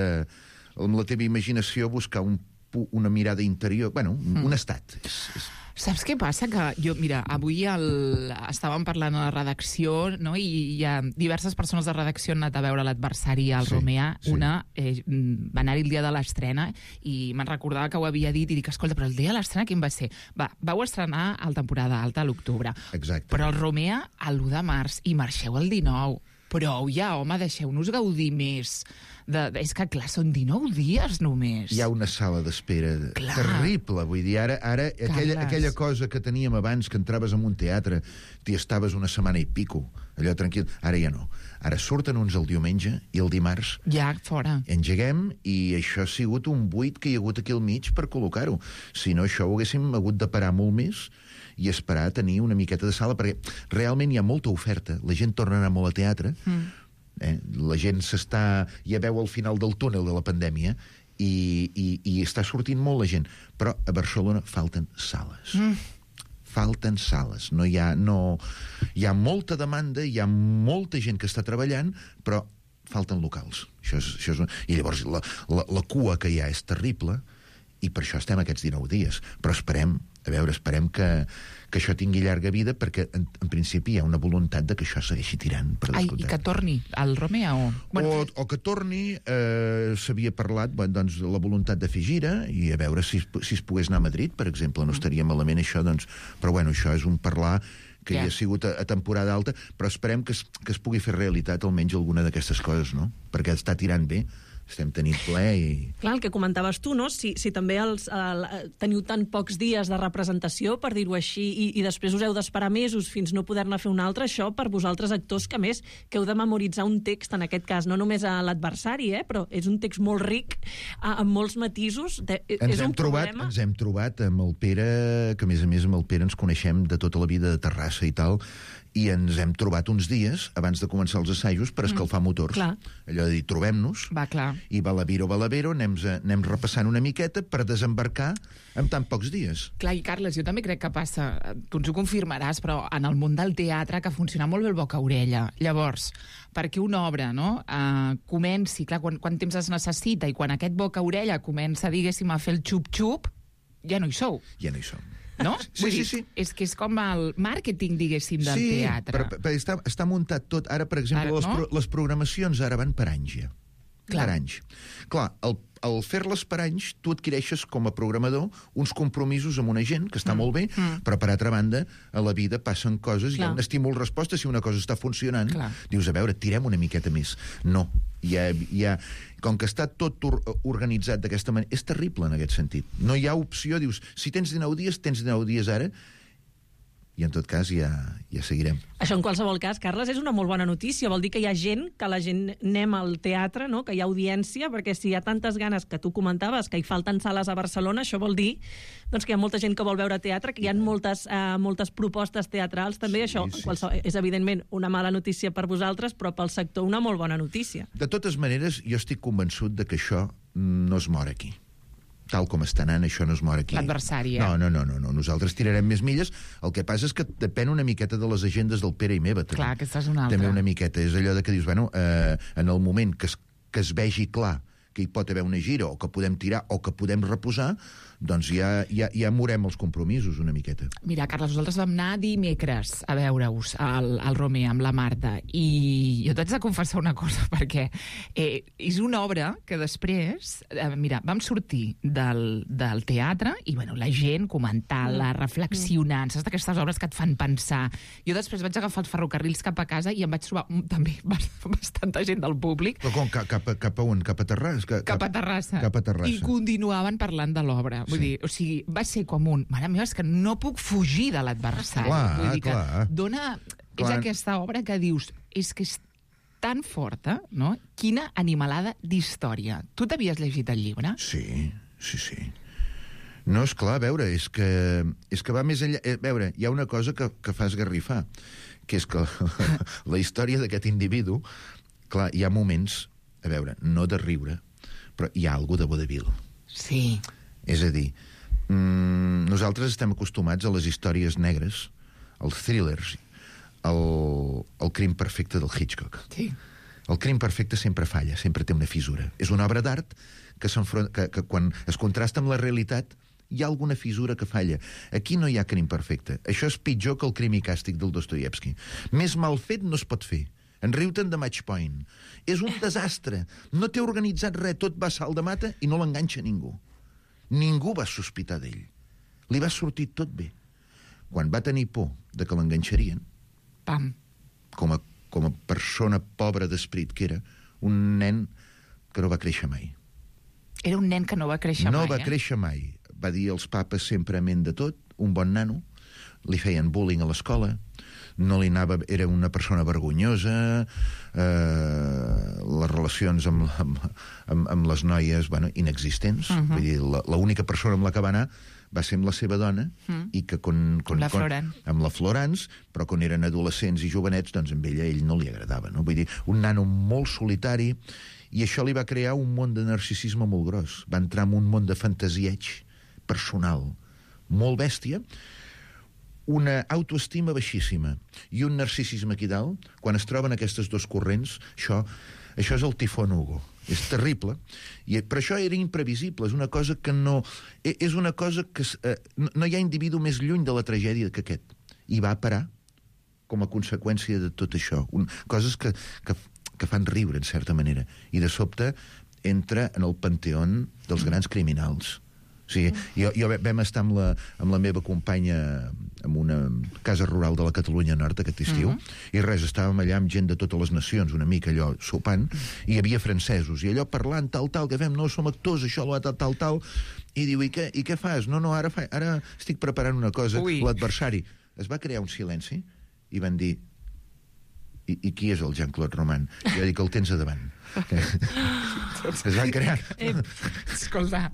amb la teva imaginació, buscar un, pu- una mirada interior, bueno, mm. un estat. És, és... Saps què passa? Que jo, mira, avui el... estàvem parlant a la redacció, no?, i hi ha diverses persones de redacció han anat a veure l'adversari al Sí, Romea. sí. Una eh, va anar el dia de l'estrena i me'n recordava que ho havia dit i dic, escolta, però el dia de l'estrena quin va ser? Va, vau estrenar al temporada alta a l'octubre. Exacte. Però el Romea a l'u de març i marxeu el dinou. Prou ja, home, deixeu-nos gaudir més. De, de, és que, clar, són dinou dies només. Hi ha una sala d'espera Clar. terrible. Vull dir, ara, ara aquella, Carles. aquella cosa que teníem abans, que entraves en un teatre, t'hi estaves una setmana i pico, allò tranquil, ara ja no. Ara surten uns el diumenge i el dimarts Ja, fora. engeguem, i això ha sigut un buit que hi ha hagut aquí al mig per col·locar-ho. Si no, això ho haguéssim hagut de parar molt més i esperar a tenir una miqueta de sala, perquè realment hi ha molta oferta. La gent torna a anar molt a teatre, Mm. eh? La gent s'està... ja veu al final del túnel de la pandèmia i, i, i està sortint molt la gent. Però a Barcelona falten sales. Mm. Falten sales. No hi ha, no... hi ha molta demanda, hi ha molta gent que està treballant, però falten locals. Això és, això és... I llavors la, la, la cua que hi ha és terrible, i per això estem aquests dinou dies. Però esperem, a veure, esperem que, que això tingui llarga vida, perquè en, en principi hi ha una voluntat de que això segueixi tirant, per Ai, descomptat. i que torni al Romea o... O, o que torni, eh, s'havia parlat, bueno, doncs, la voluntat de fer gira, i a veure si, es- si es pogués anar a Madrid, per exemple, no estaria malament això, doncs, però bueno, això és un parlar que Ja. ja ha sigut a, a temporada alta, però esperem que es, que es pugui fer realitat almenys alguna d'aquestes coses, no? Perquè està tirant bé, estem tenint ple i... Clar, el que comentaves tu, no? Si, si també els, el, teniu tan pocs dies de representació, per dir-ho així, i, i després us heu d'esperar mesos fins no poder-ne fer un altre, això per vosaltres actors, que a més que heu de memoritzar un text, en aquest cas, no només a l'adversari, eh? Però és un text molt ric, a, amb molts matisos. De, Ens és hem, un trobat, problema. ens hem trobat amb el Pere, que a més a més amb el Pere ens coneixem de tota la vida de Terrassa i tal, i ens hem trobat uns dies abans de començar els assajos per escalfar Mm, motors. clar. Allò de dir, trobem-nos, Va, clar. i Balaviro, Balavero, anem, anem repassant una miqueta per desembarcar en tan pocs dies. Clar, i Carles, jo també crec que passa, tu ens ho confirmaràs, però en el món del teatre que funciona molt bé el boca-orella. Llavors, perquè una obra, no?, uh, comenci, clar, quan, quant temps es necessita, i quan aquest boca-orella comença, diguéssim, a fer el xup-xup, ja no hi sou. Ja no hi som. No? Sí, Vull sí, dir, sí. És que és com el màrqueting, diguéssim, del sí, teatre. però, però està, està muntat tot. Ara, per exemple, Ara, les, no? pro, les programacions ara van per anys, ja. Clar. Per anys. Clar, el, el fer-les per anys, tu adquireixes com a programador uns compromisos amb una gent, que està mm. molt bé, mm. però per altra banda, a la vida passen coses, Clar. Hi ha un estímul-resposta, si una cosa està funcionant, Clar. Dius, a veure, tirem una miqueta més. No, hi ha, hi ha, com que està tot or, organitzat d'aquesta manera, és terrible en aquest sentit. No hi ha opció, dius, si tens dinou dies, tens dinou dies ara, i en tot cas ja, ja seguirem. Això, en qualsevol cas, Carles, és una molt bona notícia. Vol dir que hi ha gent, que la gent anem al teatre, no?, que hi ha audiència, perquè si hi ha tantes ganes que tu comentaves, que hi falten sales a Barcelona, això vol dir doncs, que hi ha molta gent que vol veure teatre, que hi ha moltes, eh, moltes propostes teatrals, també. Sí, això sí, qualsevol, és evidentment una mala notícia per vosaltres, però pel sector una molt bona notícia. De totes maneres, jo estic convençut de que això no es mor aquí. tal com està anant, això no es mor aquí. L'adversari, eh? No, no, no, no, no, nosaltres tirarem més milles. El que passa és que depèn una miqueta de les agendes del Pere i meva. També. Clar, aquesta és una altra. També una miqueta. És allò de que dius, bueno, eh, en el moment que es, que es vegi clar que hi pot haver una gira, o que podem tirar, o que podem reposar, doncs ja, ja, ja morem els compromisos una miqueta. Mira, Carles, nosaltres vam anar dimecres a veure-us al, al Romer amb la Marta, i jo t'haig de confessar una cosa, perquè eh, és una obra que després, eh, mira, vam sortir del, del teatre i, bueno, la gent comentant-la, reflexionant, saps d'aquestes obres que et fan pensar. Jo després vaig agafar els ferrocarrils cap a casa i em vaig trobar mm, també bastanta gent del públic. Però com, cap, cap, cap a on? Cap a Terrassa? Cap, cap a Terrassa. Cap a Terrassa. I continuaven parlant de l'obra. Vull dir, o sigui, va ser com un... Mare meva, és que no puc fugir de l'adversari. Clar, Vull dir que clar. dona... És Clar. aquesta obra que dius, és que és tan forta, no? Quina animalada d'història. Tu t'havies llegit el llibre? Sí, sí, sí. No, és clar, a veure, és que, és que va més enllà... A veure, hi ha una cosa que, que fa esgarrifar, que és que la història d'aquest individu, clar, hi ha moments, a veure, no de riure, però hi ha alguna de vodevil. Sí. És a dir, mmm, nosaltres estem acostumats a les històries negres, als thrillers, al, al crim perfecte del Hitchcock. Sí. El crim perfecte sempre falla, sempre té una fissura. És una obra d'art que, que, que quan es contrasta amb la realitat hi ha alguna fissura que falla. Aquí no hi ha crim perfecte. Això és pitjor que el Crim i Càstig del Dostoievski. Més mal fet no es pot fer. En riu-te'n de Match Point. És un desastre. No té organitzat res, tot va a salt de mata i no l'enganxa ningú. Ningú va sospitar d'ell. Li va sortir tot bé. Quan va tenir por de que l'enganxarien, Pam. Com a, com a persona pobra d'esperit que era, un nen que no va créixer mai. Era un nen que no va créixer no mai, va eh? créixer mai. Va dir als papes sempre amén de tot, un bon nano, li feien bullying a l'escola, no li anava, era una persona vergonyosa, eh, les relacions amb, amb, amb, amb les noies, bueno, inexistents. Uh -huh. Vull dir, l'única persona amb la que va anar va ser amb la seva dona, uh -huh. i que con, con, amb la con, Florence. amb la Florence, però quan eren adolescents i jovenets, doncs amb ella ell no li agradava, no? Vull dir, un nano molt solitari, i això li va crear un món de narcisisme molt gros. Va entrar en un món de fantasieig personal molt bèstia, una autoestima baixíssima i un narcisisme aquí dalt. Quan es troben aquestes dos corrents, això, això és el tifón Hugo. És terrible, i, però això era imprevisible, és una cosa que no... És una cosa que... Eh, no, no hi ha individu més lluny de la tragèdia que aquest. I va parar com a conseqüència de tot això. Un, coses que, que, que fan riure, en certa manera. I de sobte entra en el panteó dels grans criminals. O sigui, jo, jo vam estar amb la, amb la meva companya en una casa rural de la Catalunya Nord aquest estiu, uh -huh. i res, estàvem allà amb gent de totes les nacions, una mica allò sopant, i hi havia francesos, i allò parlant tal, tal, que fem, no, som actors, això, tal, tal, tal, i diu, i què, i què fas? No, no, ara, fa, ara estic preparant una cosa. L'adversari. Es va crear un silenci, i van dir, i, i qui és el Jean-Claude Roman? I jo dic, el tens a davant. Es van crear... Eh, escolta...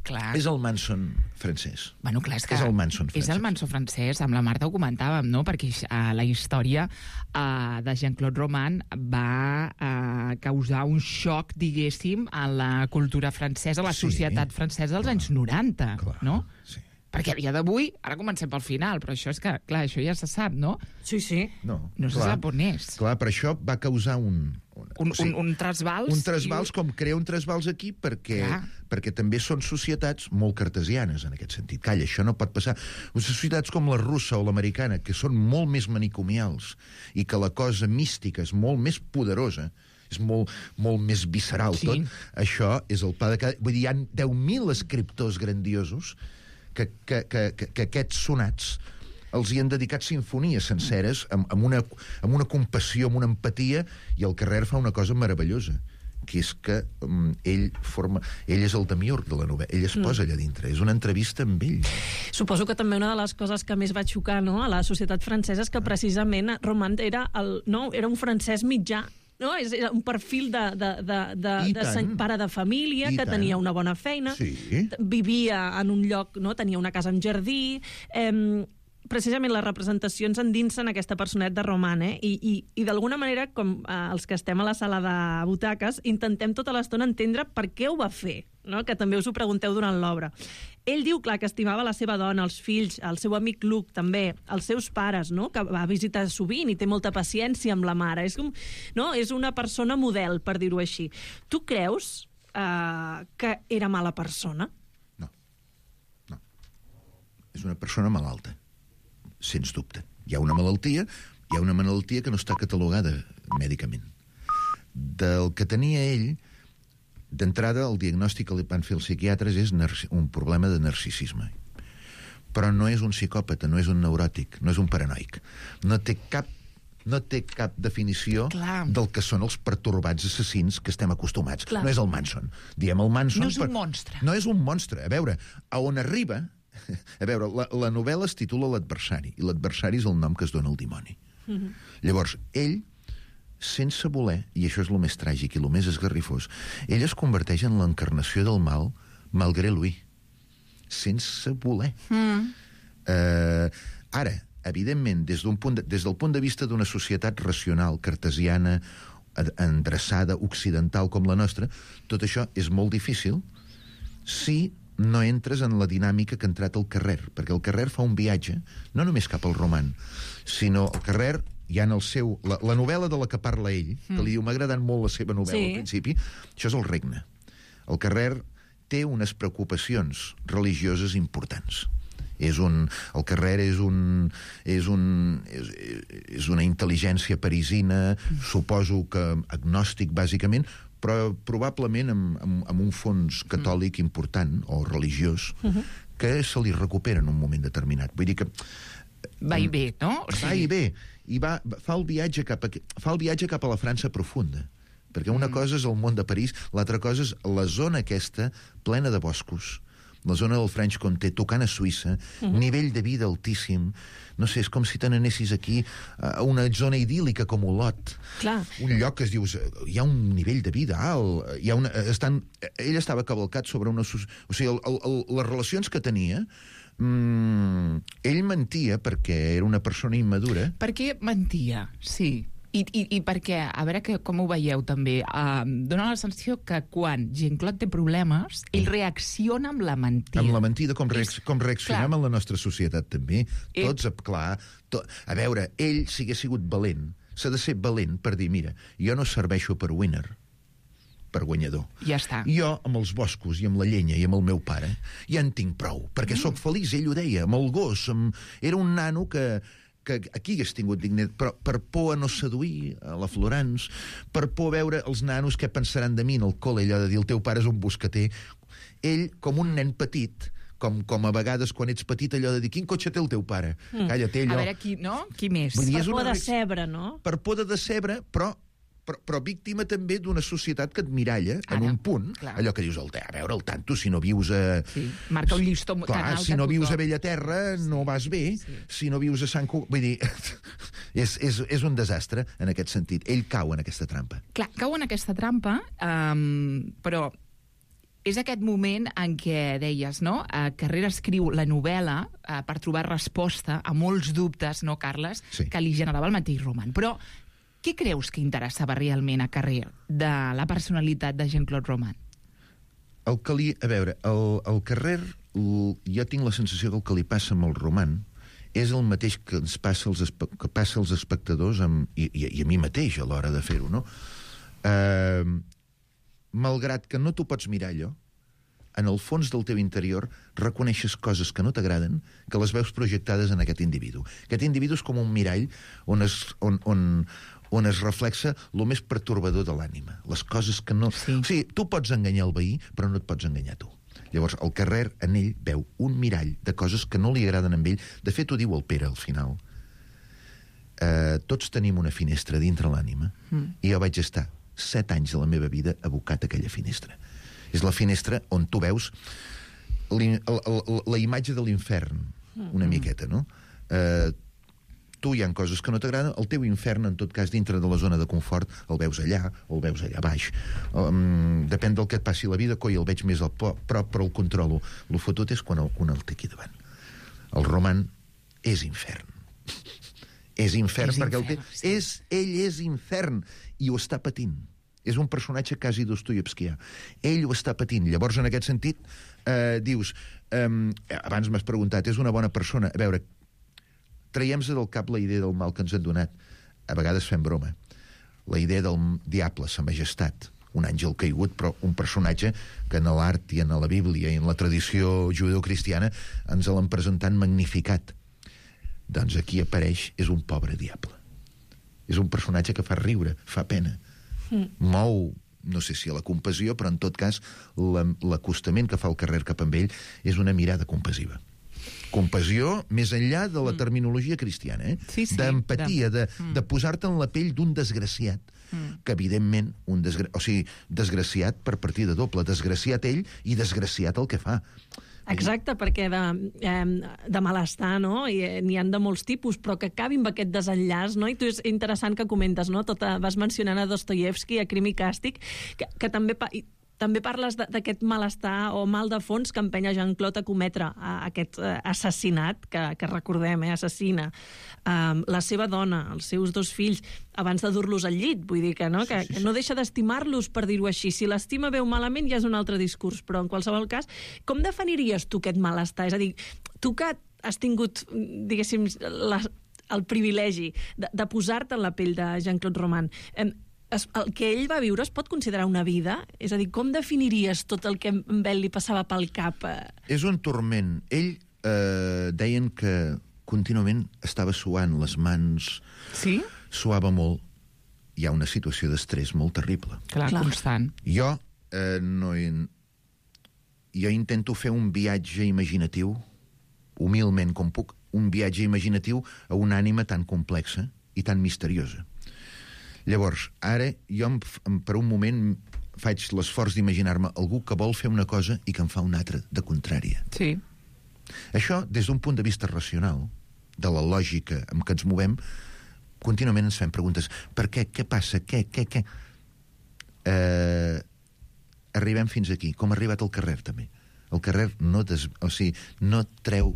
Clar. És el Manson francès. Bueno, clar, és que és el Manson francès. És el Manson francès, amb la Marta ho comentàvem, no? Perquè uh, la història uh, de Jean-Claude Roman va uh, causar un xoc, diguéssim, a la cultura francesa, a la Sí, societat francesa dels clar, anys noranta, clar, no? Sí. Perquè a dia d'avui, ara comencem pel final, però això és que, clar, això ja se sap, no? Sí, sí. No, No se clar, sap on és. Clar, per això va causar un... un Un, o sigui, un, un trasbals... un trasbals, i... com crea un trasbals aquí, perquè, Clar. perquè també són societats molt cartesianes, en aquest sentit. Calla, això no pot passar. Societats com la russa o l'americana, que són molt més manicomials, i que la cosa mística és molt més poderosa, és molt, molt més visceral, Sí. tot, això és el pa de cada... Vull dir, hi ha deu mil escriptors grandiosos que, que, que, que, que aquests sonats els hi han dedicat sinfonies senceres amb, amb, una, amb una compassió, amb una empatia, i el Carrer fa una cosa meravellosa, que és que um, ell forma... Ell és el demiurg de la novel·la, ell es posa allà dintre, és una entrevista amb ell. Suposo que també una de les coses que més va xocar, no?, a la societat francesa és que precisament Roman era, el, no, era un francès mitjà, no? És un perfil de, de, de, de, de tant. pare de família, I que tant. tenia una bona feina, Sí. vivia en un lloc, no? Tenia una casa amb jardí, eh, precisament les representacions endinsen aquesta personet de Roman, eh? I, i, i d'alguna manera, com eh, els que estem a la sala de butaques, intentem tota l'estona entendre per què ho va fer, no? Que també us ho pregunteu durant l'obra. Ell diu, clar, que estimava la seva dona, els fills, el seu amic Luke, també, els seus pares, no? Que va visitar sovint i té molta paciència amb la mare. És, com, no? És una persona model, per dir-ho així. Tu creus eh, que era mala persona? És una persona malalta, sens dubte. Hi ha una malaltia, hi ha una malaltia que no està catalogada mèdicament. Del que tenia ell, d'entrada, el diagnòstic que li van fer els psiquiatres és un problema de narcisisme. Però no és un psicòpata, no és un neuròtic, no és un paranoic. No té cap no té cap definició Clar. del que són els pertorbats assassins que estem acostumats. Clar. No és el Manson. Diem el Manson... No és un per... monstre. No és un monstre. A veure, a on arriba... A veure, la, la novel·la es titula L'adversari, i l'adversari és el nom que es dona al dimoni. Mm-hmm. Llavors, ell, sense voler, i això és el més tràgic i el més esgarrifós, ell es converteix en l'encarnació del mal malgré lui. Sense voler. Mm. Uh, ara, evidentment, des, d'un punt de, des del punt de vista d'una societat racional, cartesiana, endreçada, occidental com la nostra, tot això és molt difícil si no entres en la dinàmica que ha entrat al Carrer, perquè el Carrer fa un viatge, no només cap al roman, sinó el Carrer, hi ha en el seu... La, la novel·la de la que parla ell, mm. que li diu, m'ha agradat molt la seva novel·la sí. al principi, això és el regne. El Carrer té unes preocupacions religioses importants. És un... El Carrer és un... És, un, és, és una intel·ligència parisina, mm. suposo que agnòstic, bàsicament, però probablement amb, amb, amb un fons catòlic mm. important, o religiós, uh-huh. que se li recupera en un moment determinat. Vull dir que... Va i bé, no? O sigui... Va i bé. I va, fa, el viatge cap a, fa el viatge cap a la França profunda. Perquè una mm. cosa és el món de París, l'altra cosa és la zona aquesta plena de boscos, la zona del Franche-Comté, tocant a Suïssa, mm-hmm. nivell de vida altíssim. No sé, és com si te n'anessis aquí a una zona idíl·lica com Olot. Clar. Un lloc que es dius, hi ha un nivell de vida alt, hi ha una, estan, ell estava cavalcat sobre una... O sigui, el, el, el, les relacions que tenia, mmm, ell mentia perquè era una persona immadura. Per què mentia? Sí. I, i, i perquè, a veure que, com ho veieu també, uh, dona la sensació que quan Jean-Claude té problemes, ell reacciona amb la mentida. Amb la mentida, com, reacc com reaccionem clar. en la nostra societat també. Ell... Tots, clar... To... A veure, ell, si hagués sigut valent, s'ha de ser valent per dir, mira, jo no serveixo per winner, per guanyador. Ja està. Jo, amb els boscos i amb la llenya i amb el meu pare, ja en tinc prou, perquè mm. sóc feliç, ell ho deia, amb el gos. Amb... Era un nano que... que aquí hagués tingut dignitat, però per por a no seduir a la Florence, per por a veure els nanos què pensaran de mi en el col·le, allò de dir el teu pare és un boscater. Ell, com un nen petit, com, com a vegades quan ets petit, allò de dir quin cotxe té el teu pare? Mm. Calla, té allò... A veure, qui, no? Qui més? Dir, per por una... de decebre, no? Per por de decebre, però... Però, però víctima també d'una societat que et miralla en Ara, un punt, clar. allò que dius, el, a veure, el tanto, si no vius a... Sí, marca un llistó clar, tan alt. Si no vius a Bellaterra, sí. no vas bé, sí. si no vius a Sant Cugat... Vull dir, és, és, és un desastre en aquest sentit. Ell cau en aquesta trampa. Clar, cau en aquesta trampa, um, però és aquest moment en què deies, no? Uh, Carrera escriu la novel·la uh, per trobar resposta a molts dubtes, no, Carles, sí. que li generava el mateix roman. Però què creus que interessava realment a Carrer de la personalitat de Jean-Claude Roman? El que li... A veure, el, el Carrer, el, jo tinc la sensació que el que li passa amb el roman és el mateix que ens passa als, que passa als espectadors amb, i, i, i a mi mateix a l'hora de fer-ho, no? Uh, malgrat que no t'ho pots mirar allò, en el fons del teu interior reconeixes coses que no t'agraden, que les veus projectades en aquest individu. Aquest individu és com un mirall on es, on, on, on es reflexa el més pertorbador de l'ànima. Les coses que no... Sí. O sigui, tu pots enganyar el veí, però no et pots enganyar tu. Llavors, el Carrer, en ell, veu un mirall de coses que no li agraden a ell. De fet, ho diu el Pere, al final. Uh, tots tenim una finestra dintre l'ànima, mm. i jo vaig estar set anys de la meva vida abocat a aquella finestra. És la finestra on tu veus la, la, la imatge de l'infern, una miqueta, no? Eh, tu hi ha coses que no t'agraden, el teu infern, en tot cas, dintre de la zona de confort, el veus allà, o el veus allà baix. Um, depèn del que et passi la vida, coi, el veig més al prop, però el controlo. El fotut és quan el, quan el té aquí davant. El roman és infern. És infern és perquè infern, el té... és, ell és infern i ho està patint. És un personatge quasi dostoievskià. Ell ho està patint. Llavors, en aquest sentit, eh, dius... Eh, abans m'has preguntat, és una bona persona? A veure, traiem-se del cap la idea del mal que ens han donat. A vegades fem broma. La idea del diable, sa majestat, un àngel caigut, però un personatge que en l'art i en la Bíblia i en la tradició judeocristiana ens l'han presentat magnificat. Doncs aquí apareix, és un pobre diable. És un personatge que fa riure, fa pena. Mm. Mou, no sé si a la compassió, però en tot cas l'acostament que fa el carrer cap amb ell és una mirada compassiva. Compassió més enllà de la terminologia cristiana, eh? Sí, sí, d'empatia, de, mm. de posar-te en la pell d'un desgraciat, mm. que evidentment, un desgra... o sigui, desgraciat per partida doble, desgraciat ell i desgraciat el que fa. Exacte, perquè de, eh, de malestar, no? I eh, n'hi han de molts tipus, però que acabin amb aquest desenllaç, no? I tu és interessant que comentes, no? Tota, vas mencionant a Dostoievski, a Crim i Càstig, que, que també... Pa i també parles d'aquest malestar o mal de fons que empenya Jean-Claude a cometre a aquest eh, assassinat, que, que recordem, eh, assassina eh, la seva dona, els seus dos fills, abans de dur-los al llit. Vull dir que no, que, sí, sí, sí. que no deixa d'estimar-los, per dir-ho així. Si l'estima veu malament ja és un altre discurs, però en qualsevol cas, com definiries tu aquest malestar? És a dir, tu que has tingut, diguéssim, la, el privilegi de, de posar-te en la pell de Jean-Claude Roman, eh, el que ell va viure es pot considerar una vida? És a dir, com definiries tot el que a ell li passava pel cap? És un torment. Ell eh, deien que contínuament estava suant les mans. Sí? Suava molt. Hi ha una situació d'estrès molt terrible. Clar, Clar. constant. Jo eh, no... Jo intento fer un viatge imaginatiu, humilment com puc, un viatge imaginatiu a una ànima tan complexa i tan misteriosa. Llavors, ara jo per un moment faig l'esforç d'imaginar-me algú que vol fer una cosa i que en fa una altra de contrària. Sí. Això, des d'un punt de vista racional, de la lògica amb què ens movem, contínuament ens fem preguntes. Per què? Què passa? Què? Què? Què? Eh, arribem fins aquí. Com ha arribat el carrer, també. El carrer no, des, o sigui, no, treu,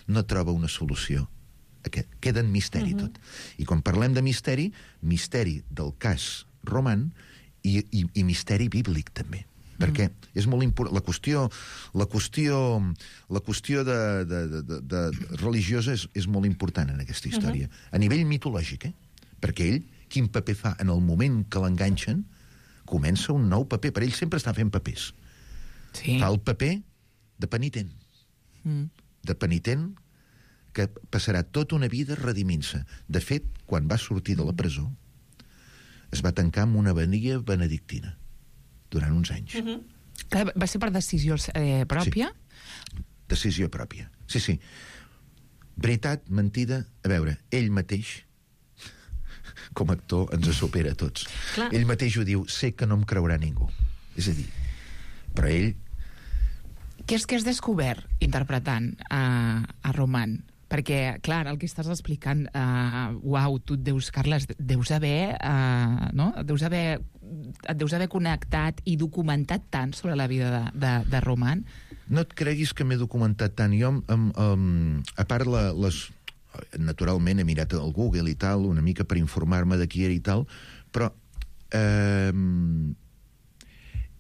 no troba una solució. Queda en misteri, uh-huh. tot. I quan parlem de misteri, misteri del cas Roman i, i, i misteri bíblic, també. Uh-huh. Perquè és molt important. La qüestió, la qüestió, la qüestió de, de, de, de religiosa és, és molt important en aquesta història. Uh-huh. A nivell mitològic, eh? Perquè ell, quin paper fa en el moment que l'enganxen, comença un nou paper. Per ell sempre està fent papers. Sí. Fa el paper de penitent. Mm. De penitent que passarà tota una vida redimint-se. De fet, quan va sortir de la presó, es va tancar amb una abadia benedictina durant uns anys. Uh-huh. Que va ser per decisió eh, pròpia? Sí. Decisió pròpia. Sí, sí. Veritat, mentida... A veure, ell mateix, com a actor, ens supera a tots. Clar. Ell mateix ho diu, sé que no em creurà ningú. És a dir, però ell... Què és que has descobert interpretant a, a Roman? Perquè, clar, el que estàs explicant, uh, uau, tu et deus, Carles, deus haver, uh, no? Deus haver, et deus haver connectat i documentat tant sobre la vida de, de, de Roman. No et creguis que m'he documentat tant. Jo, um, um, a part, la, les, naturalment, he mirat al Google i tal, una mica per informar-me de qui era i tal, però um,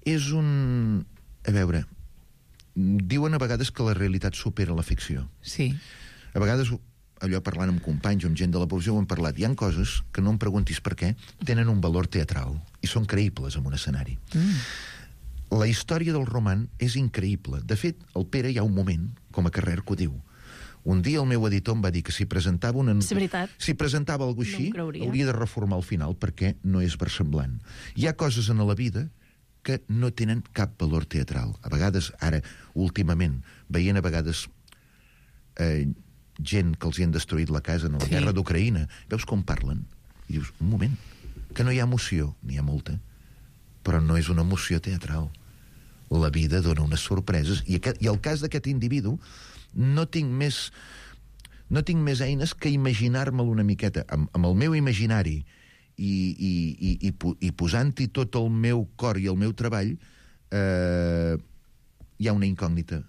és un... A veure, diuen a vegades que la realitat supera la ficció. Sí. A vegades, allò parlant amb companys o amb gent de la professió, ho hem parlat. Hi ha coses que no em preguntis per què, tenen un valor teatral i són creïbles en un escenari. Mm. La història del Roman és increïble. De fet, el Pere hi ha un moment, com a Carrer, que ho diu. Un dia el meu editor em va dir que si presentava una... És veritat. Si presentava alguna cosa així, no hauria de reformar el final perquè no és versemblant. Hi ha coses en la vida que no tenen cap valor teatral. A vegades, ara, últimament, veient a vegades... Eh, gent que els hi han destruït la casa en la sí. guerra d'Ucraïna, veus com parlen i dius, un moment, que no hi ha emoció, n'hi ha molta, però no és una emoció teatral. La vida dona unes sorpreses i, aquest, i el cas d'aquest individu no tinc més no tinc més eines que imaginar-me'l una miqueta amb, amb el meu imaginari i, i, i, i, i posant-hi tot el meu cor i el meu treball, eh, hi ha una incògnita.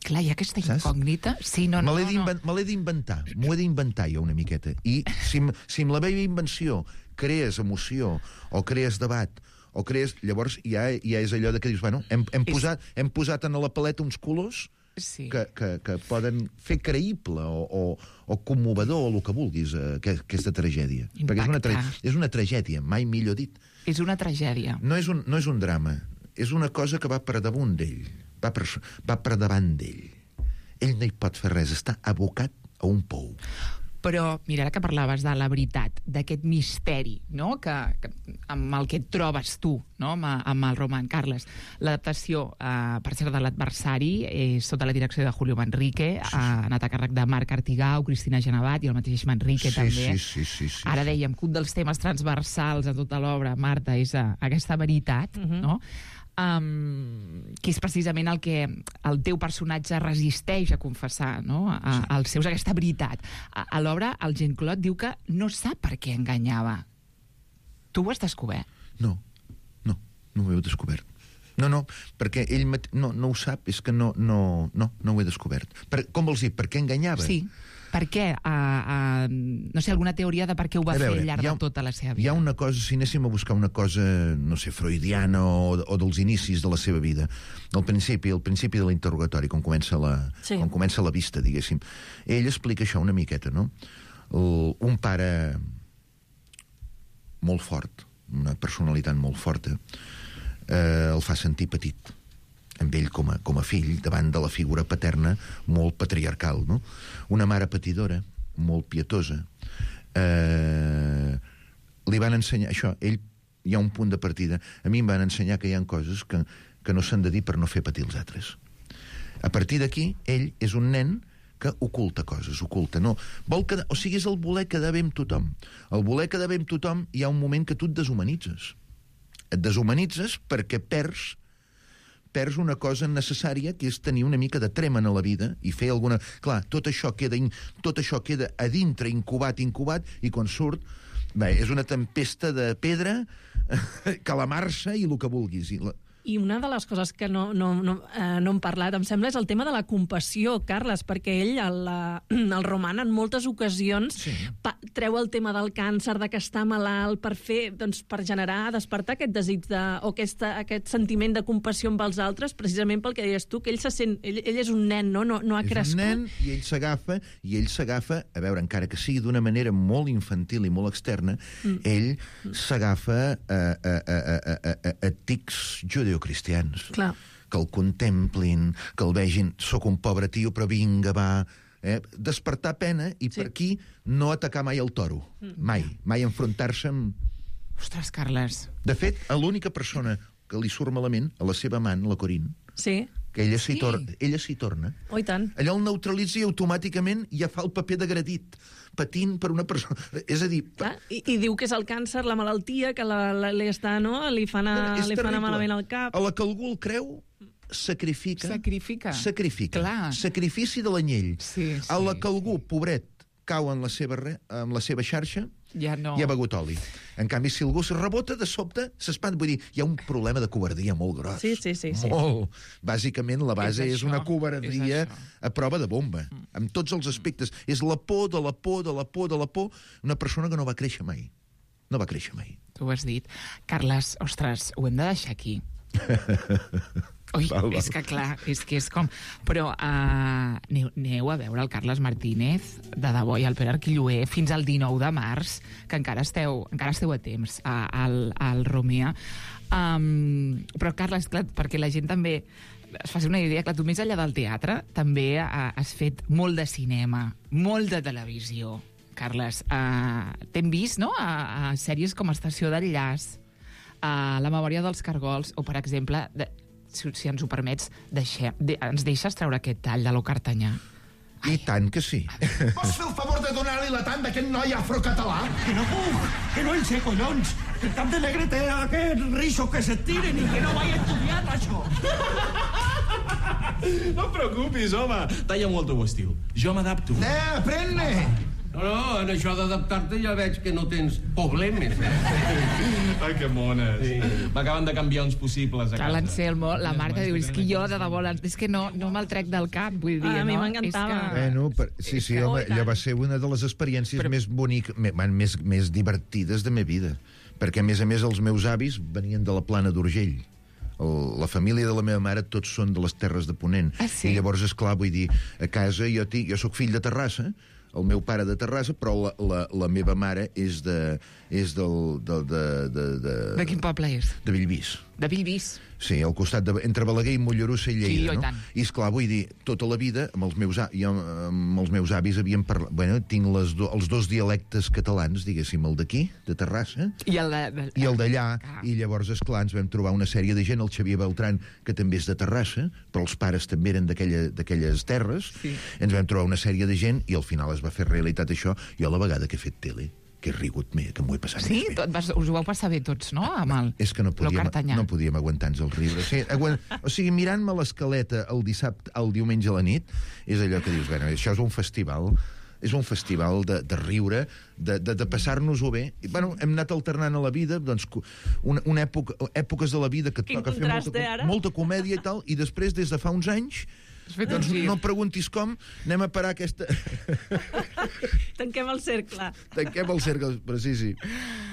Clar, hi ha aquesta incògnita. Sí, no, me no, l'he no. me l'he d'inventar, m'ho he d'inventar jo una miqueta. I si, si amb la meva invenció crees emoció, o crees debat, o crees... Llavors ja, ja és allò de que dius, bueno, hem, hem, posat, hem posat en la paleta uns colors sí. que, que, que poden fer creïble o, o, o commovedor o el que vulguis, eh, aquesta tragèdia. Impactar. Perquè és una, tra és una tragèdia, mai millor dit. És una tragèdia. No és un, no és un drama, és una cosa que va per damunt d'ell, va, per, va per davant d'ell. Ell no hi pot fer res, està abocat a un pou. Però, mira, ara que parlaves de la veritat, d'aquest misteri, no?, que, que, amb el que et trobes tu, no?, amb, amb el roman, Carles. L'adaptació, eh, per cert, de l'adversari, és sota la direcció de Julio Manrique, sí, sí. ha anat a càrrec de Marc Artigau, Cristina Genevat i el mateix Manrique, sí, també. Sí, sí, sí, sí, ara dèiem que un dels temes transversals a tota l'obra, Marta, és uh, aquesta veritat, uh-huh. no?, Um, que és precisament el que el teu personatge resisteix a confessar, no?, a, als seus, aquesta veritat. A, a l'obra, el Jean-Claude diu que no sap per què enganyava. Tu ho has descobert? No, no, no ho heu descobert. No, no, perquè ell no, no ho sap, és que no, no, no, no ho he descobert. Per, com vols dir, per què enganyava? Sí, per què? Uh, uh, no sé, alguna teoria de per què ho va veure, fer al llarg ha, de tota la seva vida. Hi ha una cosa, si anéssim a buscar una cosa, no sé, freudiana o, o dels inicis de la seva vida, al principi, al principi de l'interrogatori, quan comença la, sí. quan comença la vista, diguéssim, ell explica això una miqueta, no? El, un pare molt fort, una personalitat molt forta, eh, el fa sentir petit amb ell com a, com a fill, davant de la figura paterna molt patriarcal, no? Una mare patidora, molt pietosa. Eh, li van ensenyar... Això, ell, hi ha un punt de partida. A mi em van ensenyar que hi ha coses que, que no s'han de dir per no fer patir els altres. A partir d'aquí, ell és un nen que oculta coses, oculta, no. Vol quedar, o sigui, és el voler quedar bé amb tothom. El voler quedar bé amb tothom, hi ha un moment que tu et deshumanitzes. Et deshumanitzes perquè perds perds una cosa necessària, que és tenir una mica de trema en la vida i fer alguna... Clar, tot això queda, in... tot això queda a dintre, incubat, incubat, i quan surt, bé, és una tempesta de pedra, calamarsa i el que vulguis. I la... I una de les coses que no, no, no, eh, no hem parlat, em sembla, és el tema de la compassió, Carles, perquè ell, el, el roman, en moltes ocasions, sí. pa, treu el tema del càncer, de que està malalt, per fer, doncs, per generar, despertar aquest desig de, o aquesta, aquest sentiment de compassió amb els altres, precisament pel que deies tu, que ell se sent, ell, ell és un nen, no, no, no ha és crescut. És un nen, i ell s'agafa, i ell s'agafa, a veure, encara que sigui d'una manera molt infantil i molt externa, mm. ell s'agafa a, a, a, a, a, a, a tics judeocristians. Clar. Que el contemplin, que el vegin, soc un pobre tio, però vinga, va... Eh? Despertar pena i sí. per aquí no atacar mai el toro. Mm. Mai. Mai enfrontar-se amb... Ostres, Carles. De fet, l'única persona que li surt malament, a la seva amant, la Corinne, sí. que ella s'hi sí. tor ella s'hi torna. Oh, i tant. Allò el neutralitza i automàticament ja fa el paper d'agredit, patint per una persona... És a dir... Clar, i, I diu que és el càncer, la malaltia, que la, la, li està, no? Li fa anar, li fa anar malament al cap. A la que algú el creu, sacrifica... Sacrifica. Sacrifica. Clar. Sacrifici de l'anyell. Sí, sí. A la que algú, pobret, cau en la seva, re, en la seva xarxa, ja no. hi ha begut oli. En canvi, si algú es rebota, de sobte s'espanta. Vull dir, hi ha un problema de covardia molt gros. Sí, sí, sí. sí. Molt. Bàsicament, la base és, és una covardia a prova de bomba. Mm. Amb tots els aspectes. Mm. És la por de la por, de la por, de la por. Una persona que no va créixer mai. No va créixer mai. Tu ho has dit. Carles, ostres, ho hem de deixar aquí. Ui, val, val. És que clar, és que és com... Però uh, aneu, aneu a veure el Carles Martínez, de debò, i el Pere Arquilloé, fins al dinou de març, que encara esteu, encara esteu a temps, a, al, al Romea. Um, però, Carles, clar, perquè la gent també es faci una idea, clar, tu més enllà del teatre també uh, has fet molt de cinema, molt de televisió, Carles. Uh, T'hem vist, no?, a, a sèries com Estació d'Enllaç, a La memòria dels cargols, o, per exemple... De, Si, si ens ho permets, deixem, de, ens deixes treure aquest tall de lo Cartanyà? I tant que sí. Pots fer el favor de donar-li la tant d'aquest noi afrocatalà? Que no puc, que no en sé, collons. Que el cap de negre té aquest riso que se tiren i que no vaig estudiar, això. No et preocupis, home. Talla molt el teu estil. Jo m'adapto. Eh, aprèn-ne. No, no, en això d'adaptar-te ja veig que no tens problemes. Ai, que mones. Sí. M'acaben de canviar uns possibles a casa. L'Anselmo, la Marta diu, és que jo de debò, és que no, no me'l trec del cap, vull dir, A mi no? m'encantava. És que... Bueno, per, sí, sí, home, allò va ser una de les experiències Però... més boniques, més, més divertides de la meva vida. Perquè, a més a més, els meus avis venien de la Plana d'Urgell. El, la família de la meva mare tots són de les Terres de Ponent. Ah, sí? I llavors, esclar, vull dir, a casa jo, tinc, jo sóc fill de Terrassa, el meu pare de Terrassa, però la, la, la meva mare és de... és del... De, de, de, de, de quin poble és? De Bellvís. De Bellvís. Sí, al costat de... entre Balaguer i Mollerussa i Lleida, sí, no? Tant. I, esclar, vull dir, tota la vida, amb els meus, jo, amb els meus avis havíem parlat... Bueno, tinc les do, els dos dialectes catalans, diguéssim, el d'aquí, de Terrassa, i el de... i el d'allà, ah. I llavors, esclar, ens vam trobar una sèrie de gent, el Xavier Beltran, que també és de Terrassa, però els pares també eren d'aquelles terres, sí. Ens vam trobar una sèrie de gent, i al final es va fer realitat això, jo la vegada que he fet tele, que he rigut més, que m'ho he passat sí? més bé. Tot vas, us ho vau passar bé tots, no? Amb el... És que no podíem, no podíem aguantar-nos el riure. Sí, aguant... O sigui, mirant-me l'escaleta el dissabte, el diumenge a la nit, és allò que dius, bueno, això és un festival, és un festival de, de riure, de, de, de passar-nos-ho bé. I, bueno, hem anat alternant a la vida, doncs, una, una època, èpoques de la vida que et Quin toca fer molta, molta comèdia i tal, i després, des de fa uns anys, doncs no preguntis com, anem a parar aquesta... Tanquem el cercle. Tanquem el cercle, però sí, sí.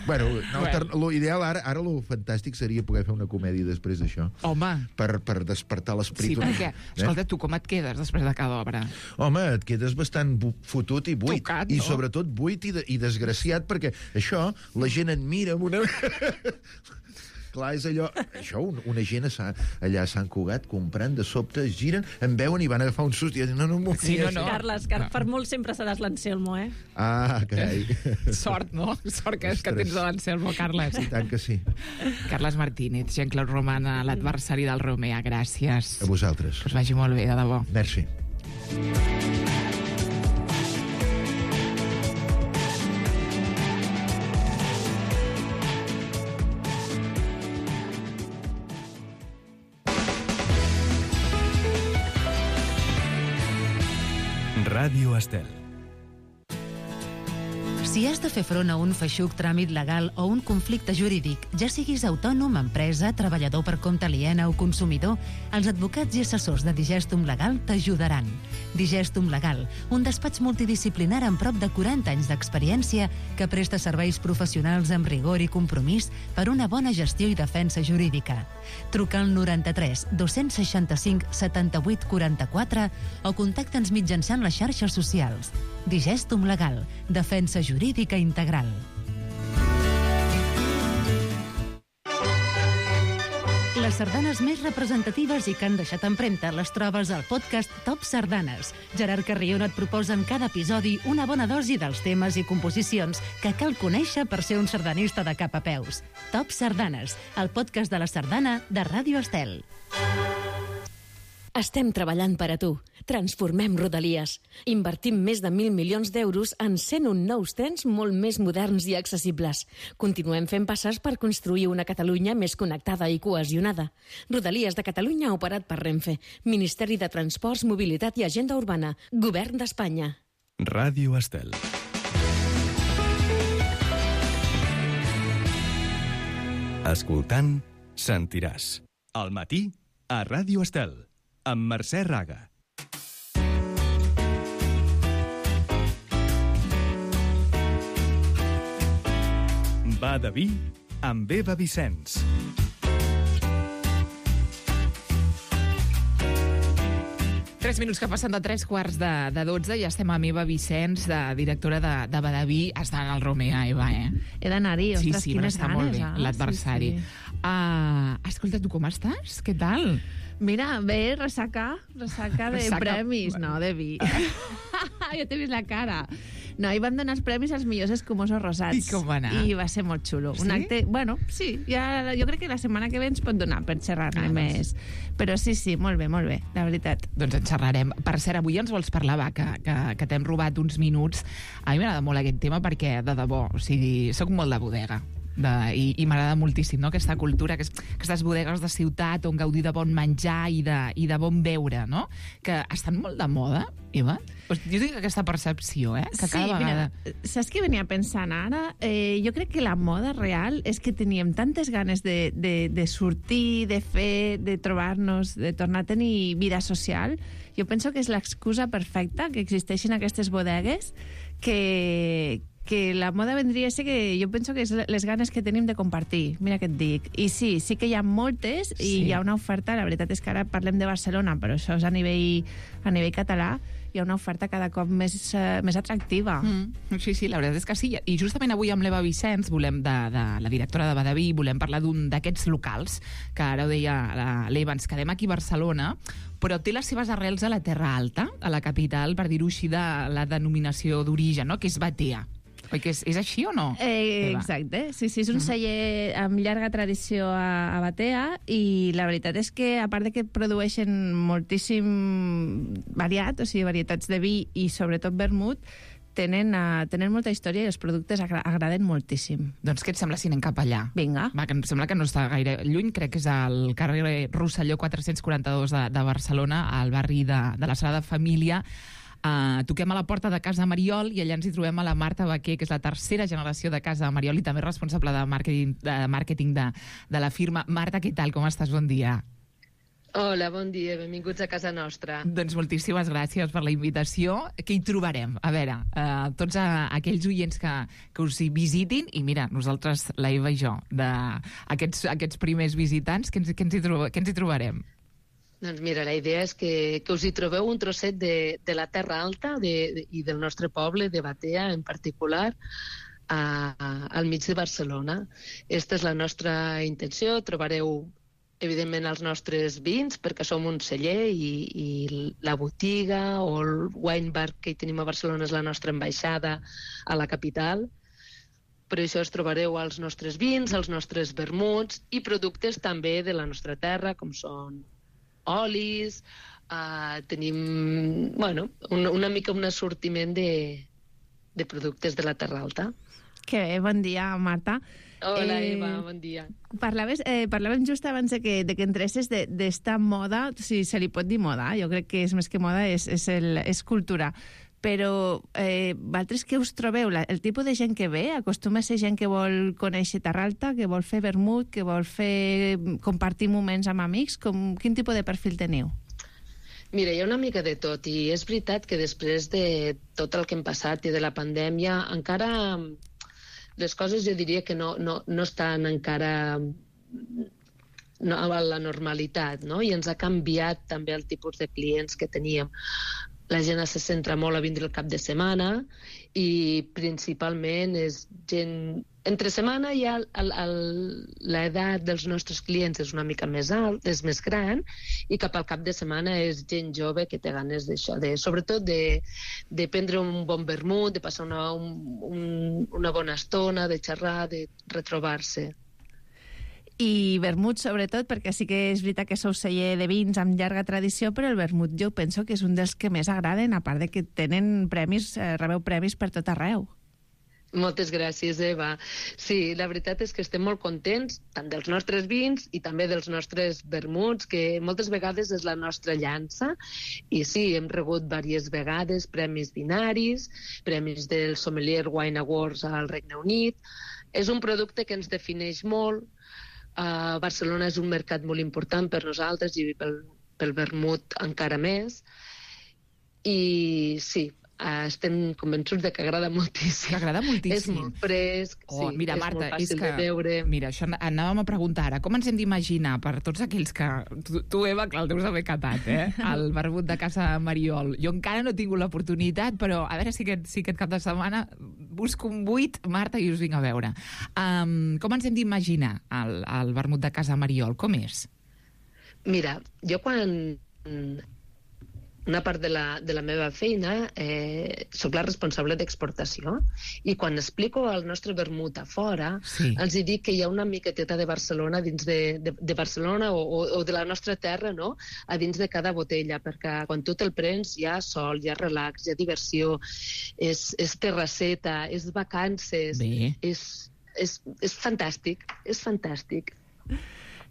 Bueno, no, bueno. L'ideal ara, ara lo fantàstic seria poder fer una comèdia després d'això. Home. Per, per despertar l'esperit. Sí, perquè, escolta, tu com et quedes després de cada obra? Home, et quedes bastant fotut i buit. Tocat, I no? sobretot buit i, de, i desgraciat, perquè això, la gent et mira amb una... Clar, és allò... Això, una gent allà a Sant Cugat comprant, de sobte es giren, em veuen i van agafar un sust i diuen, no, no m'ho sí, no, no. Carles, Car no. per molt sempre seràs l'Anselmo, eh? Ah, carai. Sort, no? Sort que, que tens de l'Anselmo, Carles. I tant que sí. Carles Martínez, Jean-Claude Romana, l'adversari del Romea, gràcies. A vosaltres. Que us vagi molt bé, de debò. Merci. Ràdio Estel. Si has de fer front a un feixuc tràmit legal o un conflicte jurídic, ja siguis autònom, empresa, treballador per compte aliena o consumidor, els advocats i assessors de Digestum Legal t'ajudaran. Digestum Legal, un despatx multidisciplinar amb prop de quaranta anys d'experiència que presta serveis professionals amb rigor i compromís per una bona gestió i defensa jurídica. Truca al noranta-tres dos-cents seixanta-cinc setanta-vuit quaranta-quatre o contacta'ns mitjançant les xarxes socials. Digestum Legal, defensa jurídica integral. Les sardanes més representatives i que han deixat empremta les trobes al podcast Top Sardanes. Gerard Carrion et proposa en cada episodi una bona dosi dels temes i composicions que cal conèixer per ser un sardanista de cap a peus. Top Sardanes, el podcast de la sardana de Ràdio Estel. Estem treballant per a tu. Transformem Rodalies. Invertim més de mil milions d'euros en cent un nous trens molt més moderns i accessibles. Continuem fent passes per construir una Catalunya més connectada i cohesionada. Rodalies de Catalunya operat per Renfe. Ministeri de Transports, Mobilitat i Agenda Urbana. Govern d'Espanya. Ràdio Estel. Escoltant, sentiràs. Al matí, a Ràdio Estel, amb Mercè Raga. Va de vi amb Eva Vicenç. Tres minuts que passen de tres quarts de, de dotze i ja estem amb Eva Vicenç, de directora de, de Badaví. Està en el Romea, Eva, eh? He d'anar-hi, sí, ostres, sí, quines està ganes, molt bé, eh? l'adversari. Sí, sí. Uh, escolta, tu com estàs? Què tal? Mira, bé, ressaca, ressaca de Ressaca. premis, no, de vi. Jo t'he vist la cara. No, hi vam donar els premis als millors escumosos rosats. I com va anar? I va ser molt xulo. Sí? Un acte, bueno, sí, ja, jo crec que la setmana que ve ens pot donar per xerrar-ne Ah, més. Però sí, sí, molt bé, molt bé, la veritat. Doncs en xerrarem. Per cert, avui ens vols parlar, va, que, que, que t'hem robat uns minuts. A mi m'agrada molt aquest tema perquè, de debò, o sigui, soc molt de bodega. de, i, i m'agrada moltíssim, no?, aquesta cultura, que és, aquestes bodegues de ciutat on gaudir de bon menjar i de, i de bon beure, no?, que estan molt de moda, Eva. Pues jo tinc aquesta percepció, eh?, que cada sí, vegada... Mira, saps què venia pensant ara? Eh, jo crec que la moda real és que teníem tantes ganes de, de, de sortir, de fer, de trobar-nos, de tornar a tenir vida social. Jo penso que és l'excusa perfecta que existeixin aquestes bodegues, que, que la moda vendria a ser que jo penso que és les ganes que tenim de compartir. Mira què et dic. I sí, sí que hi ha moltes i Sí. hi ha una oferta, la veritat és que ara parlem de Barcelona, però això és a nivell, a nivell català, hi ha una oferta cada cop més, uh, més atractiva. Mm, sí, sí, la veritat és que sí. I justament avui amb l'Eva Vicenç, volem de, de la directora de Badaví, volem parlar d'un d'aquests locals, que ara ho deia l'Eva, ens quedem aquí a Barcelona, però té les seves arrels a la Terra Alta, a la capital, per dir-ho així, de la denominació d'origen, no?, que és Batea. Oi que és, és així o no? Eh, Eva? exacte, sí, sí, és un celler amb llarga tradició a, a Batea i la veritat és que, a part de que produeixen moltíssim variat, o sigui, varietats de vi i sobretot vermut, tenen, uh, tenen molta història i els productes agra agraden moltíssim. Doncs què et sembla si anem cap allà? Vinga. Va, que em sembla que no està gaire lluny, crec que és al carrer Rosselló quatre-cents quaranta-dos de, de Barcelona, al barri de, de la Sagrada Família. Uh, toquem a la porta de Casa Mariol i allà ens hi trobem a la Marta Baquer, que és la tercera generació de Casa Mariol i també responsable de màrqueting de, màrqueting de, de la firma. Marta, què tal? Com estàs? Bon dia. Hola, bon dia, benvinguts a casa nostra. Doncs moltíssimes gràcies per la invitació. Què hi trobarem? A veure, uh, tots uh, aquells oients que, que us hi visitin, i mira, nosaltres, la Eva i jo, de aquests, aquests primers visitants, què ens, què ens, hi, trob què ens hi trobarem? Doncs mira, la idea és que, que us hi trobeu un trosset de, de la Terra Alta de, de, i del nostre poble, de Batea en particular, a, a, al mig de Barcelona. Esta és la nostra intenció. Trobareu, evidentment, els nostres vins, perquè som un celler i, i la botiga o el wine bar que hi tenim a Barcelona és la nostra ambaixada a la capital. Per això es trobareu els nostres vins, els nostres vermuts i productes també de la nostra terra, com són olis, uh, tenim, bueno, una, una mica un assortiment de, de productes de la Terra Alta. Que bé, bon dia, Marta. Hola, eh, Eva, bon dia. Parlaves, eh, parlàvem just abans de que, de que entresses d'esta moda, si se li pot dir moda, jo crec que és més que moda, és, és, el, és cultura. Però eh, vosaltres què us trobeu? La, el tipus de gent que ve acostuma a ser gent que vol conèixer Terra Alta, que vol fer vermut, que vol fer compartir moments amb amics? Com, quin tipus de perfil teniu? Mira, hi ha una mica de tot, i és veritat que després de tot el que hem passat i de la pandèmia, encara les coses jo diria que no, no, no estan encara no, a la normalitat, no? I ens ha canviat també el tipus de clients que teníem. La gent se centra molt a vindre el cap de setmana i principalment és gent... Entre setmana ja l'edat dels nostres clients és una mica més alt, és més gran, i cap al cap de setmana és gent jove que té ganes d'això, de, sobretot de, de prendre un bon vermut, de passar una, un, un, una bona estona, de xerrar, de retrobar-se. I vermut, sobretot, perquè sí que és veritat que sou celler de vins amb llarga tradició, però el vermut jo penso que és un dels que més agraden, a part de que tenen premis, eh, rebeu premis per tot arreu. Moltes gràcies, Eva. Sí, la veritat és que estem molt contents, tant dels nostres vins i també dels nostres vermuts, que moltes vegades és la nostra llança, i sí, hem rebut diverses vegades premis vinaris, premis del Sommelier Wine Awards al Regne Unit. És un producte que ens defineix molt. Uh, Barcelona és un mercat molt important per nosaltres i pel, pel vermut encara més. I sí, uh, estem convençuts de que agrada moltíssim. Que agrada moltíssim. És molt fresc, oh, sí, mira, és Marta, molt fàcil és que, de beure. Mira, això anàvem a preguntar ara. Com ens hem d'imaginar, per tots aquells que... Tu, tu Eva, clar, el deus haver catat, eh? El vermut de Casa Mariol. Jo encara no he tingut l'oportunitat, però a veure si aquest, si aquest cap de setmana busco un buit, Marta, i us vinc a veure. Um, com ens hem d'imaginar el, el vermut de Casa Mariol? Com és? Mira, jo quan... Una part de la, de la meva feina, eh, soc la responsable d'exportació, i quan explico el nostre vermut a fora, sí. els hi dic que hi ha una miqueteta de Barcelona dins de, de, de Barcelona o, o, o de la nostra terra, no?, a dins de cada botella, perquè quan tu te'l prens hi ha sol, hi ha relax, hi ha diversió, és, és terrasseta, és vacances, és, és, és fantàstic, és fantàstic.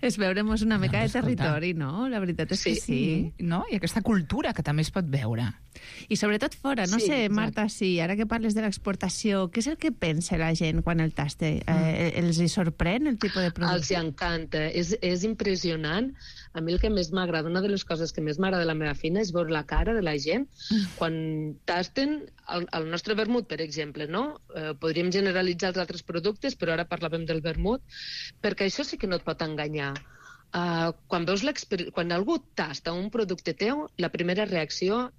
És veure'm una mica de escolta. territori, no? La veritat és que sí. No? I aquesta cultura que també es pot veure. I sobretot fora, no Sí, sé, exacte. Marta, sí, ara que parles de l'exportació, què és el que pensa la gent quan el tasta? Eh, els hi sorprèn el tipus de Els producte? hi encanta, és, és impressionant. A mi el que més m'agrada, una de les coses que més m'agrada de la meva feina és veure la cara de la gent quan tasten el, el nostre vermut, per exemple, no? Eh, podríem generalitzar els altres productes, però ara parlàvem del vermut, perquè això sí que no et pot enganyar. Uh, quan, veus quan algú tasta un producte teu, la primera reacció,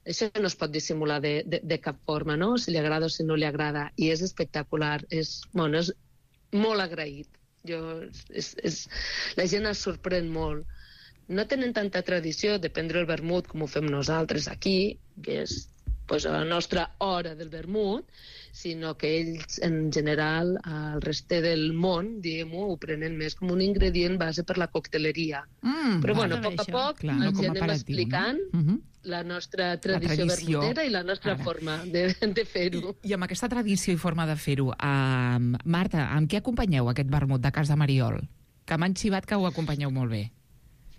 això no es pot dissimular de, de, de cap forma, no? Si li agrada o si no li agrada. I és espectacular, és, bueno, és molt agraït. Jo, és, és, la gent es sorprèn molt. No tenen tanta tradició de prendre el vermut com ho fem nosaltres aquí, que és pues, a la nostra hora del vermut, sinó que ells, en general, al reste del món, diguem-ho, ho prenen més com un ingredient base per la cocteleria. Mm, Però, bueno, a bé, poc a això. poc Clar, no ens com hi a anem aperitiu, explicant no? Uh -huh. la nostra tradició, tradició. vermutera i la nostra Ara. forma de, de fer-ho. I amb aquesta tradició i forma de fer-ho, uh, Marta, amb què acompanyeu aquest vermut de Casa Mariol? Que m'han xivat que ho acompanyeu molt bé.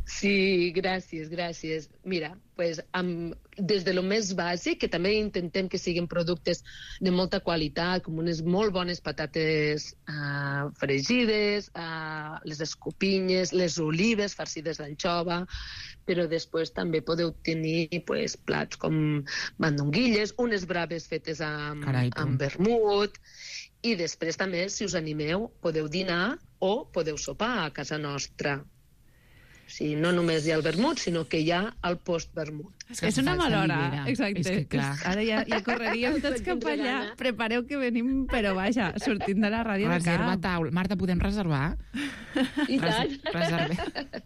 Sí, gràcies, gràcies. Mira, pues, amb, des de lo més bàsic, que també intentem que siguin productes de molta qualitat, com unes molt bones patates uh, fregides, uh, les escopinyes, les olives farcides d'anxova, però després també podeu tenir pues, plats com mandonguilles, unes braves fetes amb, Carai, tu. amb vermut, i després també, si us animeu, podeu dinar o podeu sopar a casa nostra. O sigui, no només hi ha el vermut, sinó que hi ha el post-vermut. És, és una mala hora, exacte. És que, clar. Ara ja, ja correríem tots cap allà. Prepareu que venim, però vaja, sortint de la ràdio de Reserva cap. taula. Marta, podem reservar? I tant. Res, reserve.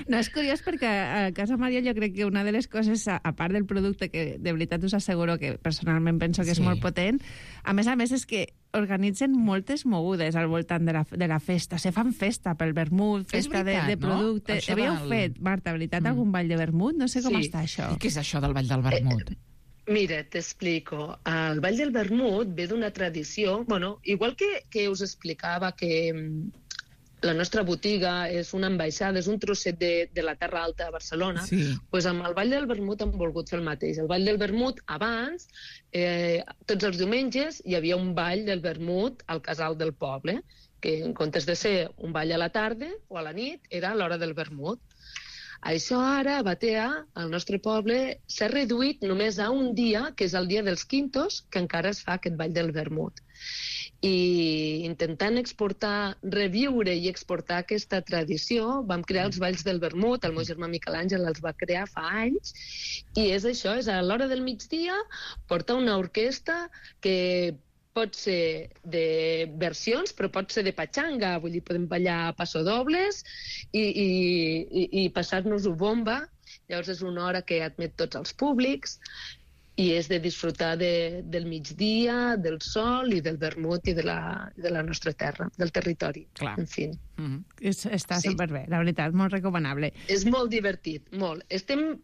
No, és curiós perquè a Casa Maria jo crec que una de les coses, a, a part del producte, que de veritat us asseguro que personalment penso que és Sí. molt potent, a més a més és que organitzen moltes mogudes al voltant de la, de la festa. Se fan festa pel vermut, festa veritat, de, de no? producte. Això Havíeu del- fet, Marta, veritat, algun ball de vermut? No sé com Sí. està això. I què és això del Ball del Vermut? Mira, t'explico. El Ball del Vermut ve d'una tradició, bueno, igual que, que us explicava que mm, la nostra botiga és una ambaixada, és un trosset de, de la Terra Alta a Barcelona, Sí. pues amb el Ball del Vermut hem volgut fer el mateix. El Ball del Vermut, abans, eh, tots els diumenges, hi havia un ball del Vermut al casal del poble, que en comptes de ser un ball a la tarda o a la nit, era a l'hora del Vermut. Això ara, a Batea, al nostre poble, s'ha reduït només a un dia, que és el dia dels quintos, que encara es fa aquest ball del vermut. I intentant exportar, reviure i exportar aquesta tradició, vam crear els balls del vermut, el meu germà Miquel Àngel els va crear fa anys, i és això, és a l'hora del migdia, portar una orquestra que pot ser de versions, però pot ser de patxanga, vull dir, podem ballar passodobles i, i, i, i passar-nos-ho bomba. Llavors és una hora que admet tots els públics i és de disfrutar de, del migdia, del sol i del vermut i de la, de la nostra terra, del territori. Clar. En fi. Mm -hmm. És, està Sí. superbé, la veritat, molt recomanable. És molt divertit, molt. Estem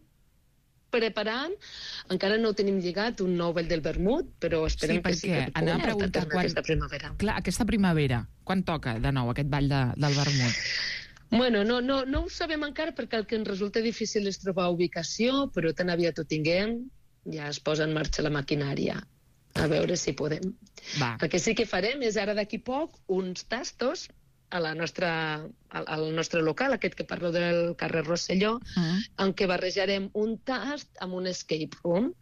preparant, encara no ho tenim lligat, un nou ball del vermut, però esperem Sí, que sí que perquè ho anava a puguem preguntar portar a terme quan- aquesta primavera. Clar, aquesta primavera, quan toca de nou aquest ball de, del vermut? Bueno, no, no, no ho sabem encara perquè el que ens resulta difícil és trobar ubicació, però tan aviat ho tinguem, ja es posa en marxa la maquinària. A veure si podem. Va. El que sí que farem és ara d'aquí poc uns tastos a la nostra, al, al nostre local, aquest que parlo del carrer Rosselló, Mm. en què barrejarem un tast amb un escape room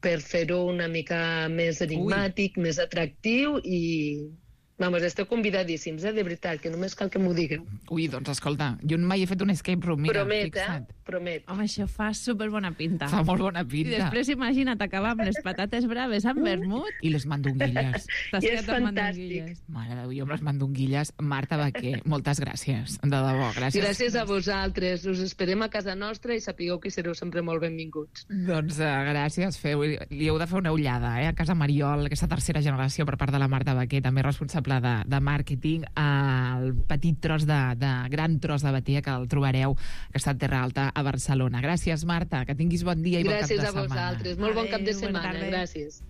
per fer-ho una mica més enigmàtic, Ui. més atractiu i... Vamos, esteu convidadíssims, eh, de veritat, que només cal que m'ho digueu. Ui, doncs escolta, jo mai he fet un escape room, mira, Promet, fixa't. eh? Promet. Home, això fa superbona pinta. Fa molt bona I pinta. després imagina't acabar amb les patates braves amb vermut. I les mandonguilles. T'has I quedat és amb fantàstic. mandonguilles. Mare de Déu, jo amb les mandonguilles. Marta Baquer, moltes gràcies, de debò, gràcies. Gràcies a vosaltres. Us esperem a casa nostra i sapigueu que sereu sempre molt benvinguts. Doncs uh, gràcies, feu, li heu de fer una ullada, eh, a Casa Mariol, aquesta tercera generació per part de la Marta Baquer, també responsable de, de màrqueting, el petit tros de, de gran tros de Batea que el trobareu, que està a Terra Alta a Barcelona. Gràcies, Marta, que tinguis bon dia i bon cap de Gràcies a setmana. vosaltres. Molt bon cap de Adéu, bona setmana. tarda. Gràcies.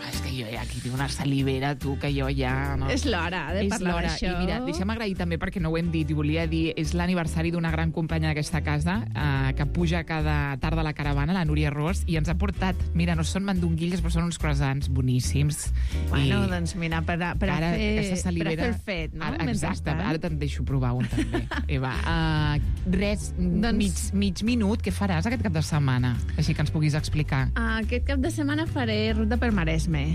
És que jo ja aquí tinc una salivera, tu, que jo ja... No. És l'hora de és parlar l'hora. d'això. I mira, deixa'm agrair també, perquè no ho hem dit, i volia dir, és l'aniversari d'una gran companya d'aquesta casa, eh, que puja cada tarda a la caravana, la Núria Ros, i ens ha portat, mira, no són mandonguilles, però són uns croissants boníssims. Bueno, I doncs mira, per a, per a, ara, fer, aquesta salivera, per a fer el fet, no? Ara, exacte, ara te'n deixo provar un també. Eva, uh, res, doncs... mig, mig minut, què faràs aquest cap de setmana? Així que ens puguis explicar. Aquest cap de setmana faré ruta per Maresme.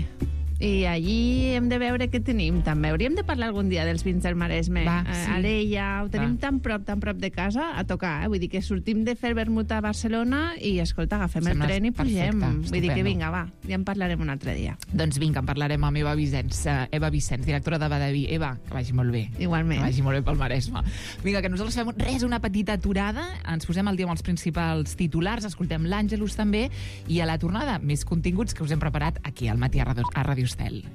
I allí hem de veure què tenim, també. Hauríem de parlar algun dia dels vins del Maresme. Va, eh, sí. Alella, ho tenim Va. tan prop, tan prop de casa, a tocar. Eh? Vull dir que sortim de fer vermut a Barcelona i, escolta, agafem Sembla el tren i pugem. perfecte, Vull dir que estupendo. vinga, va, ja en parlarem un altre dia. Doncs vinga, en parlarem amb Eva Vicenç, uh, Eva Vicenç, directora de Badaví. Eva, que vagi molt bé. Igualment. Que vagi molt bé pel Maresme. Vinga, que nosaltres fem res, una petita aturada, ens posem al dia amb els principals titulars, escoltem l'Àngelus també, i a la tornada, més continguts que us hem preparat aquí al Matí a Ràdio Estel.